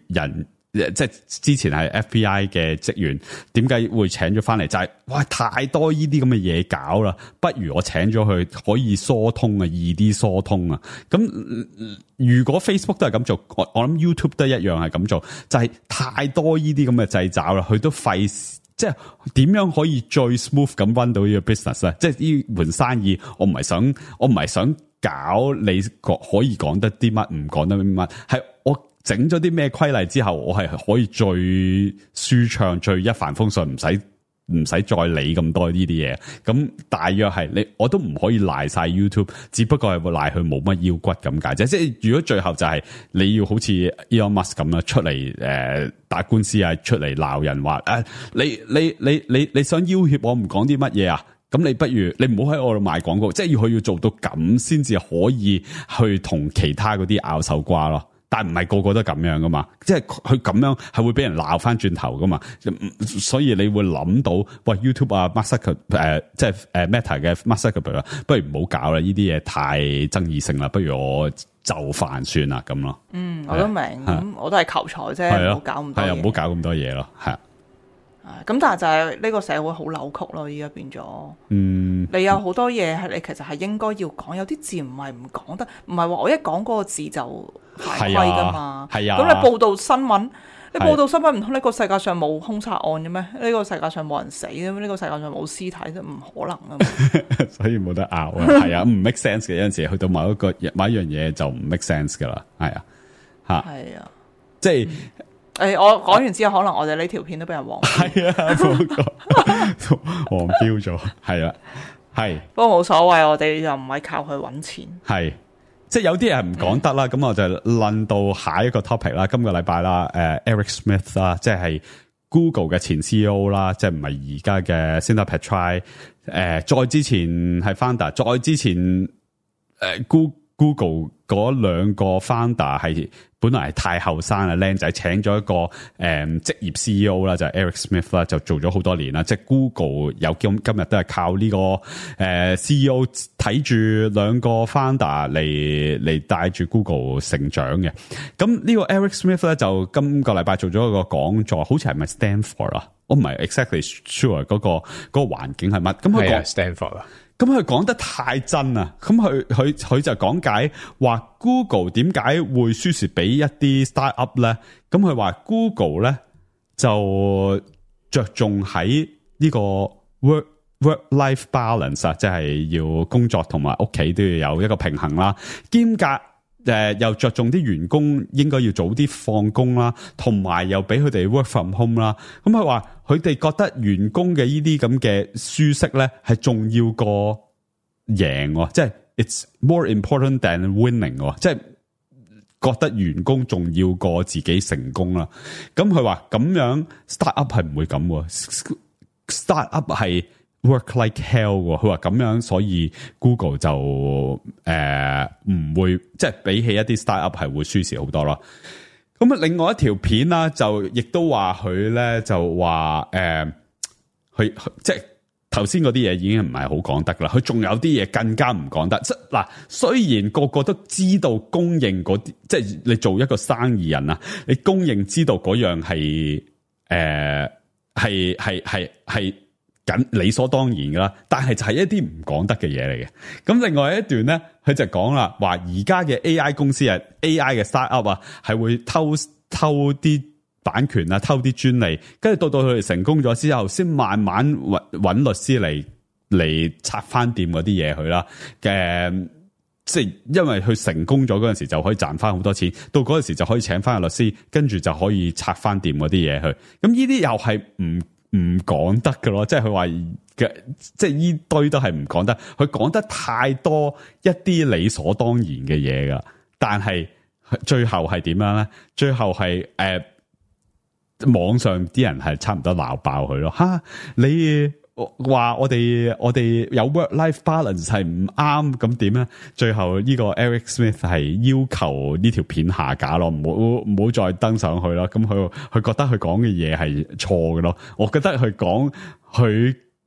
S3: 人，即係之前係 FBI 嘅職員，點解會請咗翻嚟？就係哇，太多呢啲咁嘅嘢搞啦，不如我請咗佢可以疏通啊，易啲疏通啊。咁如果 Facebook 都係咁做，我諗 YouTube 都一樣係咁做，就係太多呢啲咁嘅掣肘啦，佢都費事。即係點樣可以最 smooth 咁 run 到呢個 business 咧？即係呢門生意，我唔係想搞你可以講得啲乜，唔講得啲乜，係我整咗啲咩規例之後，我係可以最舒暢、最一帆風順，唔使再理咁多呢啲嘢。咁大約係我都唔可以賴晒 YouTube， 只不過係會賴佢冇乜腰骨咁解啫。即係如果最後就係你要好似 Elon Musk 咁啦，出嚟打官司啊，出嚟鬧人話你想要挾我唔講啲乜嘢啊？咁你不如你唔好喺我度賣廣告，即係佢要做到咁先至可以去同其他嗰啲拗手瓜咯。但係唔係個個都咁樣噶嘛，即係佢咁樣係會俾人鬧翻轉頭噶嘛，所以你會諗到喂 YouTube 啊 Mark Zuckerberg 即係Meta 嘅 Mark Zuckerberg 不如唔好搞啦，呢啲嘢太爭議性啦，不如我就範算啦咁咯。
S4: 我都明，咁我都係求財啫，唔好搞咁多嘢。係啊，
S3: 唔好搞咁多嘢咯，係啊。
S4: 咁但係就係呢個社會好扭曲咯，依家變咗。你有好多嘢係你其實係應該要講，有啲字唔係唔講得，唔係話我一講嗰個字就犯規噶嘛。係啊。咁你報道新聞，你報道新聞唔通呢個世界上冇兇殺案嘅咩？呢個世界上冇人死嘅咩？呢個世界上冇屍體都唔可能噶嘛。所以冇得拗啊。係啊，唔 make sense 嘅，有陣時去到某一樣嘢就唔 make sense 噶啦。係啊，嚇。係啊，即係。我講完之後，可能我哋呢條片都俾人黃標。係啊，黃標咗。係啊，係。不過冇所謂，我哋又唔係靠佢搵錢。係，即係有啲人唔講得啦。咁我就論到下一個 topic 啦。今個禮拜啦，Eric Smith 啦，即係 Google 嘅前 CEO 啦，即係唔係而家嘅 Sundar Pichai。再之前係 founder，再之前
S3: Google 嗰兩個 founder 係本來係太後生啊，靚仔，請咗一個職業 CEO 啦，就係 Eric Smith 啦，就做咗好多年啦。即係 Google 有今日都係靠呢個CEO 睇住兩個 founder 嚟帶住 Google 成長嘅。咁呢個 Eric Smith 咧就今個禮拜做咗一個講座，好似係咪 Stanford 啊？我唔係 exactly sure 嗰個環境係乜。咁佢講
S5: Stanford 啊。
S3: 咁佢講得太真啦，咁佢就講解話 Google 點解會輸蝕俾一啲 startup 咧？咁佢話 Google 咧就着重喺呢個 work-life balance 啊，即係要工作同埋屋企都要有一個平衡啦，兼夾又着重啲員工應該要早啲放工啦，同埋又俾佢哋 work from home 啦。咁佢話佢哋覺得員工嘅呢啲咁嘅舒適咧係重要過贏，即係 it's more important than winning， 即係覺得員工重要過自己成功啦。咁佢話咁樣 startup 係唔會咁，startup 係work like hell 喎，佢話咁樣，所以 Google 就唔會，即係比起一啲 startup 係會輸蝕好多咯。咁啊，另外一條片啦，就亦都話佢咧就話佢即係頭先嗰啲嘢已經唔係好講得啦，佢仲有啲嘢更加唔講得。即嗱，雖然個個都知道公認嗰啲，即係你做一個生意人啊，你公認知道嗰樣係係緊理所當然噶啦，但係就係一啲唔講得嘅嘢嚟嘅。咁另外一段咧，佢就講啦，話而家嘅 AI 公司啊 ，AI 嘅 startup 啊，係會偷啲版權啊，偷啲專利，跟住到佢哋成功咗之後，先慢慢揾律師嚟拆翻掂嗰啲嘢佢啦。即係因為佢成功咗嗰陣時就可以賺翻好多錢，到嗰陣時就可以請翻個律師，跟住就可以拆翻掂嗰啲嘢去。咁呢啲又係唔講得㗎咯，即係佢話嘅，即係呢堆都係唔講得。佢講得太多一啲理所當然嘅嘢㗎，但係最後係點樣咧？最後係網上啲人係差唔多鬧爆佢咯。吓，你話我哋有 work-life balance 係唔啱，咁點咧？最後呢個 Eric Smith 係要求呢條片下架咯，唔好再登上去咯。咁佢覺得佢講嘅嘢係錯嘅咯。我覺得佢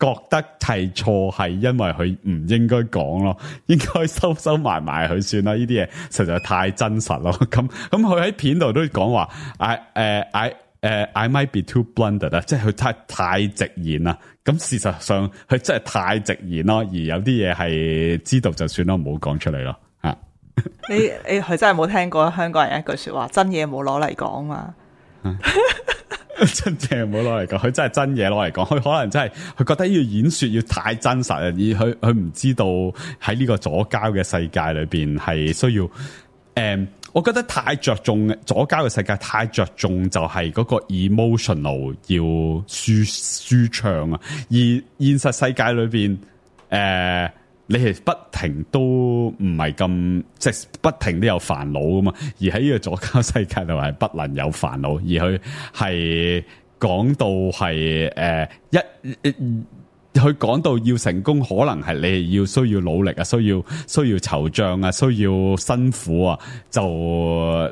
S3: 覺得係錯係因為佢唔應該講咯，應該收埋佢算啦。呢啲嘢實在太真實咯。咁佢喺片度都講話I might be too blunt 啊，即係佢太直言啦。咁事實上佢真係太直言咯，而有啲嘢係知道就算咯，唔好講出嚟咯。吓，
S4: 你佢真係冇聽過香港人一句說話，真嘢冇攞嚟講嘛？
S3: 真嘢冇攞嚟講，佢真係真嘢攞嚟講。佢可能真係佢覺得呢個演說要太真實啊，而佢唔知道喺呢個左膠嘅世界裏邊係需要我覺得太着重左膠嘅世界，太着重就係嗰個 emotional 要舒暢啊，而現實世界裏邊你係不停都唔係咁，即係不停都有煩惱噶嘛，而喺呢個左膠世界度係不能有煩惱，而佢係講到係佢講到要成功，可能係你要需要努力啊，需要惆悵啊，需要辛苦啊，就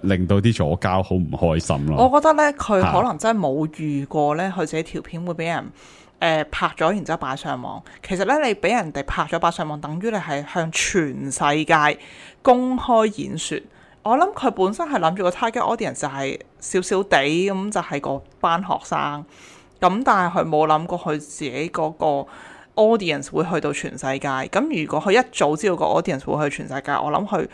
S3: 令到啲左膠好唔開心咯。
S4: 我覺得咧，佢可能真係冇遇過咧，佢自己條片會俾人拍咗，然之後擺上網。其實咧，你俾人哋拍咗擺上網，等於你係向全世界公開演說。我諗佢本身係諗住個 target audience 就係少少地咁，就係個班學生。咁但係佢冇諗過佢自己嗰個 audience 會去到全世界。咁如果佢一早知道個 audience 會去全世界，我諗佢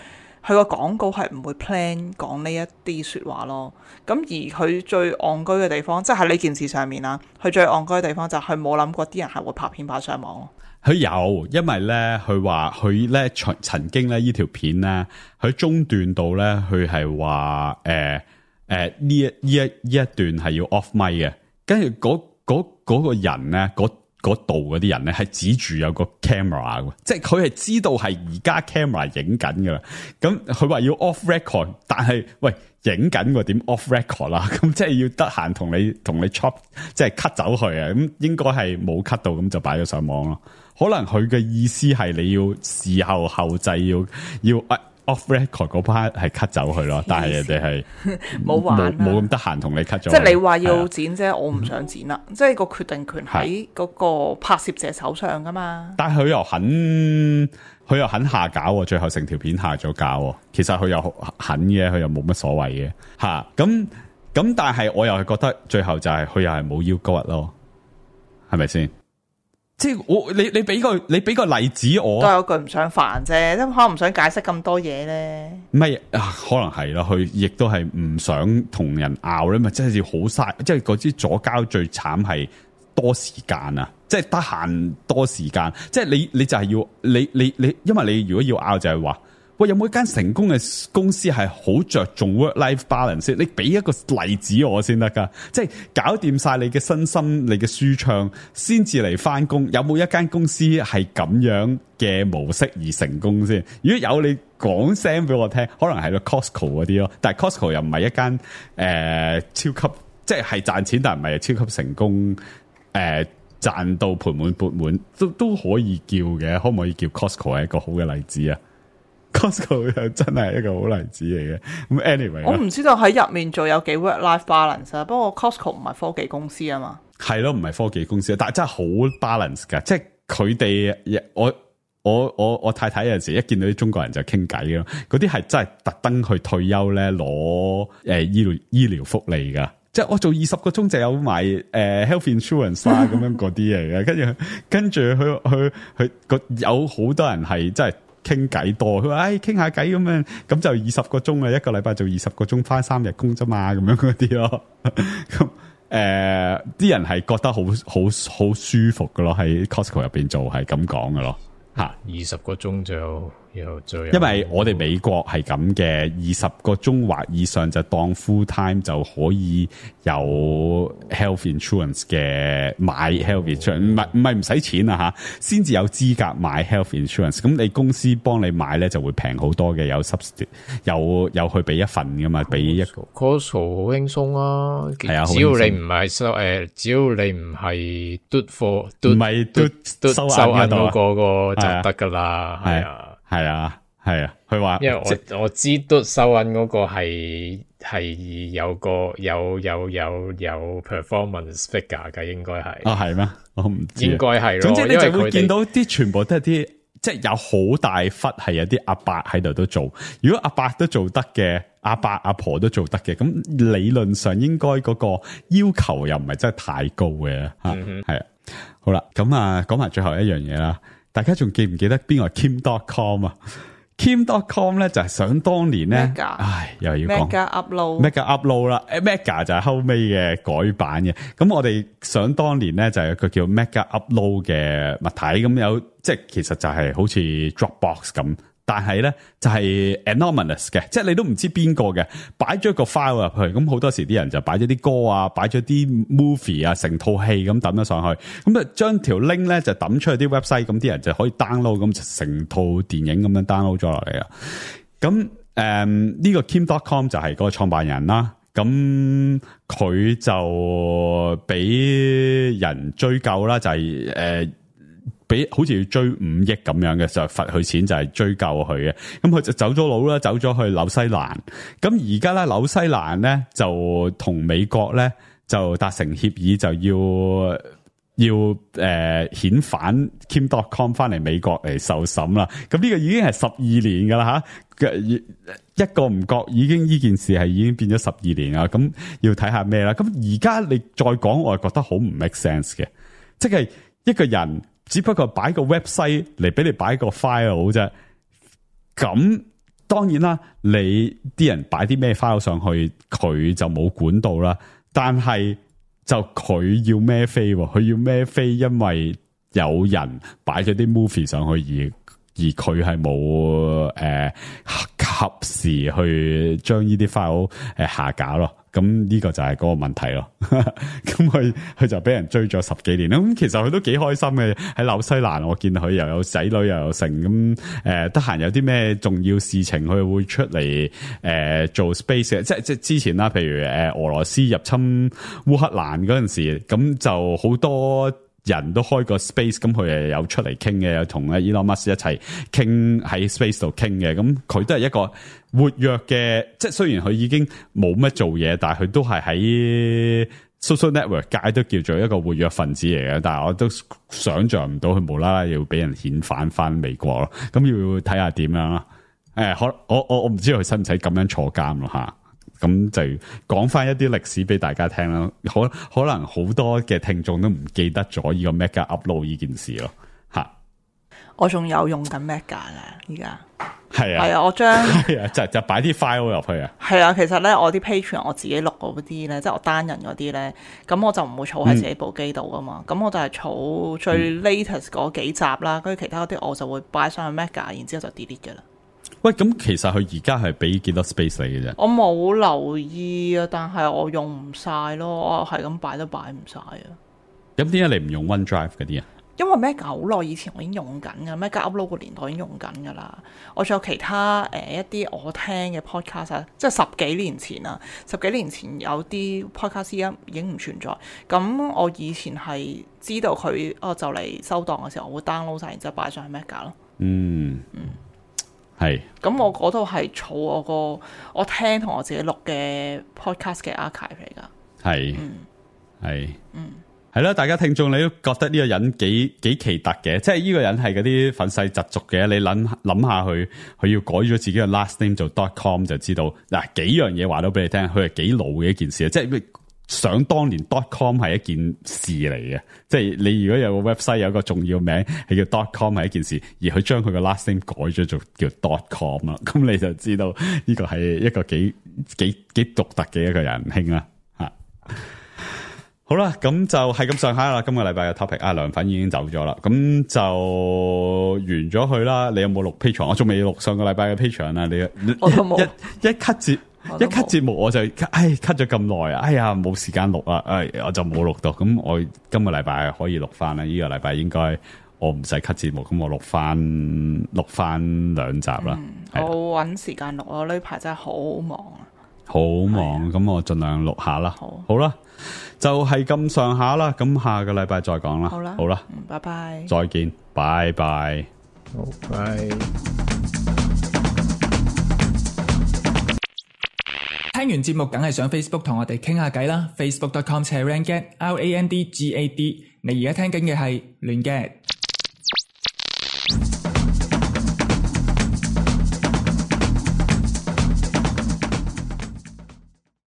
S4: 個廣告係唔會 plan 講呢一啲說話咯。咁而佢最戇居嘅地方，即係喺呢件事上面啦，佢最戇居嘅地方就係佢冇諗過啲人係會拍片擺上網。
S3: 佢有，因為咧佢話佢咧曾經咧呢條片咧喺中段度咧，佢係話呢一段係要 off mic 嘅。跟住嗰個人咧，嗰度嗰啲人咧係指住有個 camera 嘅，即係佢係知道係而家 camera 影緊噶啦。咁佢話要 off record，但係喂影緊個點 off record 啦？咁即係要得閒同你 chop， 即係 cut 走佢啊！咁應該係冇 cut 到，咁就擺咗上網咯。可能佢嘅意思係你要事後後製要 off record 嗰 part 係 cut 走佢咯，但係人哋係
S4: 冇玩啦
S3: 冇咁得閒同你 cut 咗。
S4: 即係你話要剪啫，我唔想剪啦。即係個決定權喺嗰個拍攝者手上噶嘛。
S3: 但係佢又肯下架喎，最後成條片下咗架喎。其實佢又肯嘅，佢又冇乜所謂嘅嚇。咁但係我又係覺得最後就係佢又係冇腰骨咯，係咪先？即係你俾個例子我，
S4: 都有句唔想煩啫，都可能唔想解釋咁多嘢咧。
S3: 唔係可能係咯，佢亦都係唔想同人拗咧，咪真係要好嘥。即係嗰支左膠最慘係多時間啊！即係得閒多時間，即係你就係要你，因為你如果要拗就係話，喂，有冇一間成功嘅公司係好着重 work-life balance？ 你俾一個例子我先得噶，即係搞掂晒你嘅身心、你嘅舒暢，先至嚟翻工。有冇一間公司係咁樣嘅模式而成功先？如果有，你講聲俾我聽，可能係個 Costco 嗰啲咯。但係 Costco 又唔係一間超級，即係賺錢，但係唔係超級成功賺到盆滿缽滿，都可以叫嘅。可唔可以叫 Costco 係一個好嘅例子啊？Costco 又真係一個好例子嚟嘅。咁 anyway，
S4: 我唔知道喺入面做有幾 work-life balance 啊。不過 Costco 唔係科技公司啊嘛。
S3: 係咯，唔係科技公司，但係真係好 balance 噶。即係佢哋，我太太有陣時一見到啲中國人就傾偈咯。嗰啲係真係特登去退休咧攞醫療福利噶。即係我做20個鐘就有埋health insurance 啦，咁樣嗰啲嚟嘅。跟住佢有好多人係真係傾偈多。佢話傾下偈咁樣，咁就20個鐘啊，一個禮拜做20個鐘，返3日工啫嘛，咁樣嗰啲咯。咁啲人係覺得好舒服噶咯，喺 Costco 入邊做係咁講噶咯。吓
S5: ，20個鐘就
S3: 因為我哋美國係咁嘅，20個鐘或以上就當 full time 就可以有 health insurance 嘅，買 health insurance， 唔係唔使錢啊吓，先至有資格買 health insurance。咁你公司幫你買咧就會平好多嘅，有 subsidy， 有去俾一份噶嘛，俾一個
S5: Costco 好輕鬆啊，
S3: 係啊，
S5: 只要你唔係只要你唔係嘟貨，唔
S3: 係嘟收銀
S5: 嗰個就得噶啦，係啊。
S3: 係啊，佢話，
S5: 因為我知都收銀嗰個係有個有 performance figure 嘅，應該係。
S3: 係咩？我唔知。應
S5: 該係咯。
S3: 總之你就會見到啲全部都係啲，即係有好大忽係有啲阿伯喺度都做。如果阿伯都做得嘅，阿伯阿婆都做得嘅，咁理論上應該嗰個要求又唔係真係太高嘅。係啊。好啦，咁啊，講埋最後一樣嘢啦。大家仲記唔記得邊個係 Kim.com 啊 ？Kim.com 咧就係想當年咧，又要講 Mega Upload 啦，Mega 就係後尾嘅改版嘅。咁我哋想當年咧就係一個叫 Mega Upload 嘅物體，咁有即係其實就係好似 Dropbox 咁。但係咧就係 anonymous 嘅，即係你都唔知邊個嘅，擺咗個 file 入去，咁好多時啲人就擺咗啲歌啊，擺咗啲 movie 啊，成套戲咁抌咗上去，咁啊將條 link 咧就抌出去啲 website，咁啲人就可以 download，咁成套電影咁樣 download 咗落嚟啊。咁呢個 Kim.com 就係嗰個創辦人啦，咁佢就俾人追究啦，就係好似要追5億咁樣嘅，就罰佢錢，就係追究佢嘅。咁佢就走咗佬啦，走咗去紐西蘭。咁而家咧紐西蘭咧就同美國咧就達成協議，就要遣返 Kim.com 翻嚟美國嚟受審啦。咁呢個已經係12年噶啦吓，一個唔覺已經呢件事係已經變咗12年啦。咁要睇下咩啦。咁而家你再講，我係覺得好唔 make sense 嘅，即係一個人。只不過擺個 website 嚟俾你擺個 file 啫，咁當然啦，你啲人擺啲咩 file 上去，佢就冇管到啦。但係就佢要孭飛，佢要孭飛，因為有人擺咗啲 movie 上去，而佢係冇及時去將呢啲 file 下架咯。咁呢個就係嗰個問題咯。咁佢就俾人追咗10幾年啦。咁其實佢都幾開心嘅，喺紐西蘭，我見佢又有仔女又有成咁，得閒有啲咩重要事情，佢會出嚟做 space 嘅。即係之前啦，譬如俄羅斯入侵烏克蘭嗰陣時，咁就好多人都開個 space， 咁佢又有出嚟傾嘅，有同 Elon Musk 一齊傾喺 space 度傾嘅，咁佢都係一個活躍嘅，即係雖然佢已經冇乜做嘢，但係佢都係喺 social network 界都叫做一個活躍分子嚟嘅，但係我都想像唔到佢無啦啦要俾人遣返翻美國咯，咁要睇下點樣啦。我唔知道佢使唔使咁樣坐監咯嚇。咁就講翻一啲歷史俾大家聽啦，可能好多嘅聽眾都唔記得咗呢個 Mega Upload 呢件事咯，吓。我
S4: 仲有用緊 Mega 嘅，而家
S3: 係啊，
S4: 係啊，我將
S3: 係啊，就擺啲 file 入去啊。
S4: 係啊，其實咧我啲 Patreon 我自己錄嗰啲咧，即係我單人嗰啲咧，咁我就唔會儲喺自己部機度噶嘛，咁我就係儲最 latest 嗰幾集啦，跟住其他嗰啲我就會擺上去 Mega，然之後就 delete 噶啦。
S3: 喂，咁其實佢而家係俾幾多 space 你嘅啫？
S4: 我冇留意啊，但係我用唔晒咯，我係咁擺都擺唔晒啊。
S3: 咁點解你唔用 OneDrive 嗰啲啊？
S4: 因為 Mega 好耐以前我已經用緊噶，Mega Upload 個年代已經用緊噶啦。我仲有其他一啲我聽嘅 podcast 啊，即係十幾年前啊，十幾年前有啲 podcast 已經唔存在。咁我以前係知道佢就嚟收檔嘅時候，我會 download 晒，然之後擺上去 Mega 咯。係，咁我嗰度係儲我聽同我自己錄嘅 podcast 嘅 archive 嚟噶。係，係啦，大家聽眾你都覺得呢個人幾奇特嘅，即係呢個人係嗰啲憤世嫉俗嘅。你諗下佢要改咗自己嘅 last name 做 .com 就知道嗱，幾樣嘢話到俾你聽，佢係幾老嘅一件事啊！即係想當年 .com 係一件事嚟嘅，即係你如果有個 website 有個重要名係叫 .com 係一件事，而佢將佢個 last name 改咗做叫 .com 啦，咁你就知道呢個係一個幾獨特嘅一個人兄啦吓。好啦，咁就係咁上下啦。今個禮拜嘅 topic，梁粉已經走咗啦，咁就完咗佢啦。你有冇錄 Patreon？我仲未錄上個禮拜嘅 Patreon 啊！你我都冇
S3: 一 cut 節目我就cut 咗咁耐啊！哎呀，冇時間錄啊！我就冇錄到。咁我今個禮拜可以錄翻啦。呢個禮拜應該我唔使 cut 節目，咁我錄翻2集啦。
S4: 我搵時間錄，我呢排真係好忙啊！
S3: 好忙，咁我盡量錄下啦。好啦，就係咁上下啦。咁下個禮拜再講啦。好啦，
S4: 拜拜，
S3: 再見，拜拜，
S5: 好，拜。
S1: 聽完節目梗係上 Facebook 同我哋傾下偈啦。Facebook.com/randgad，RANDGAD。你而家聽緊嘅係亂 gad。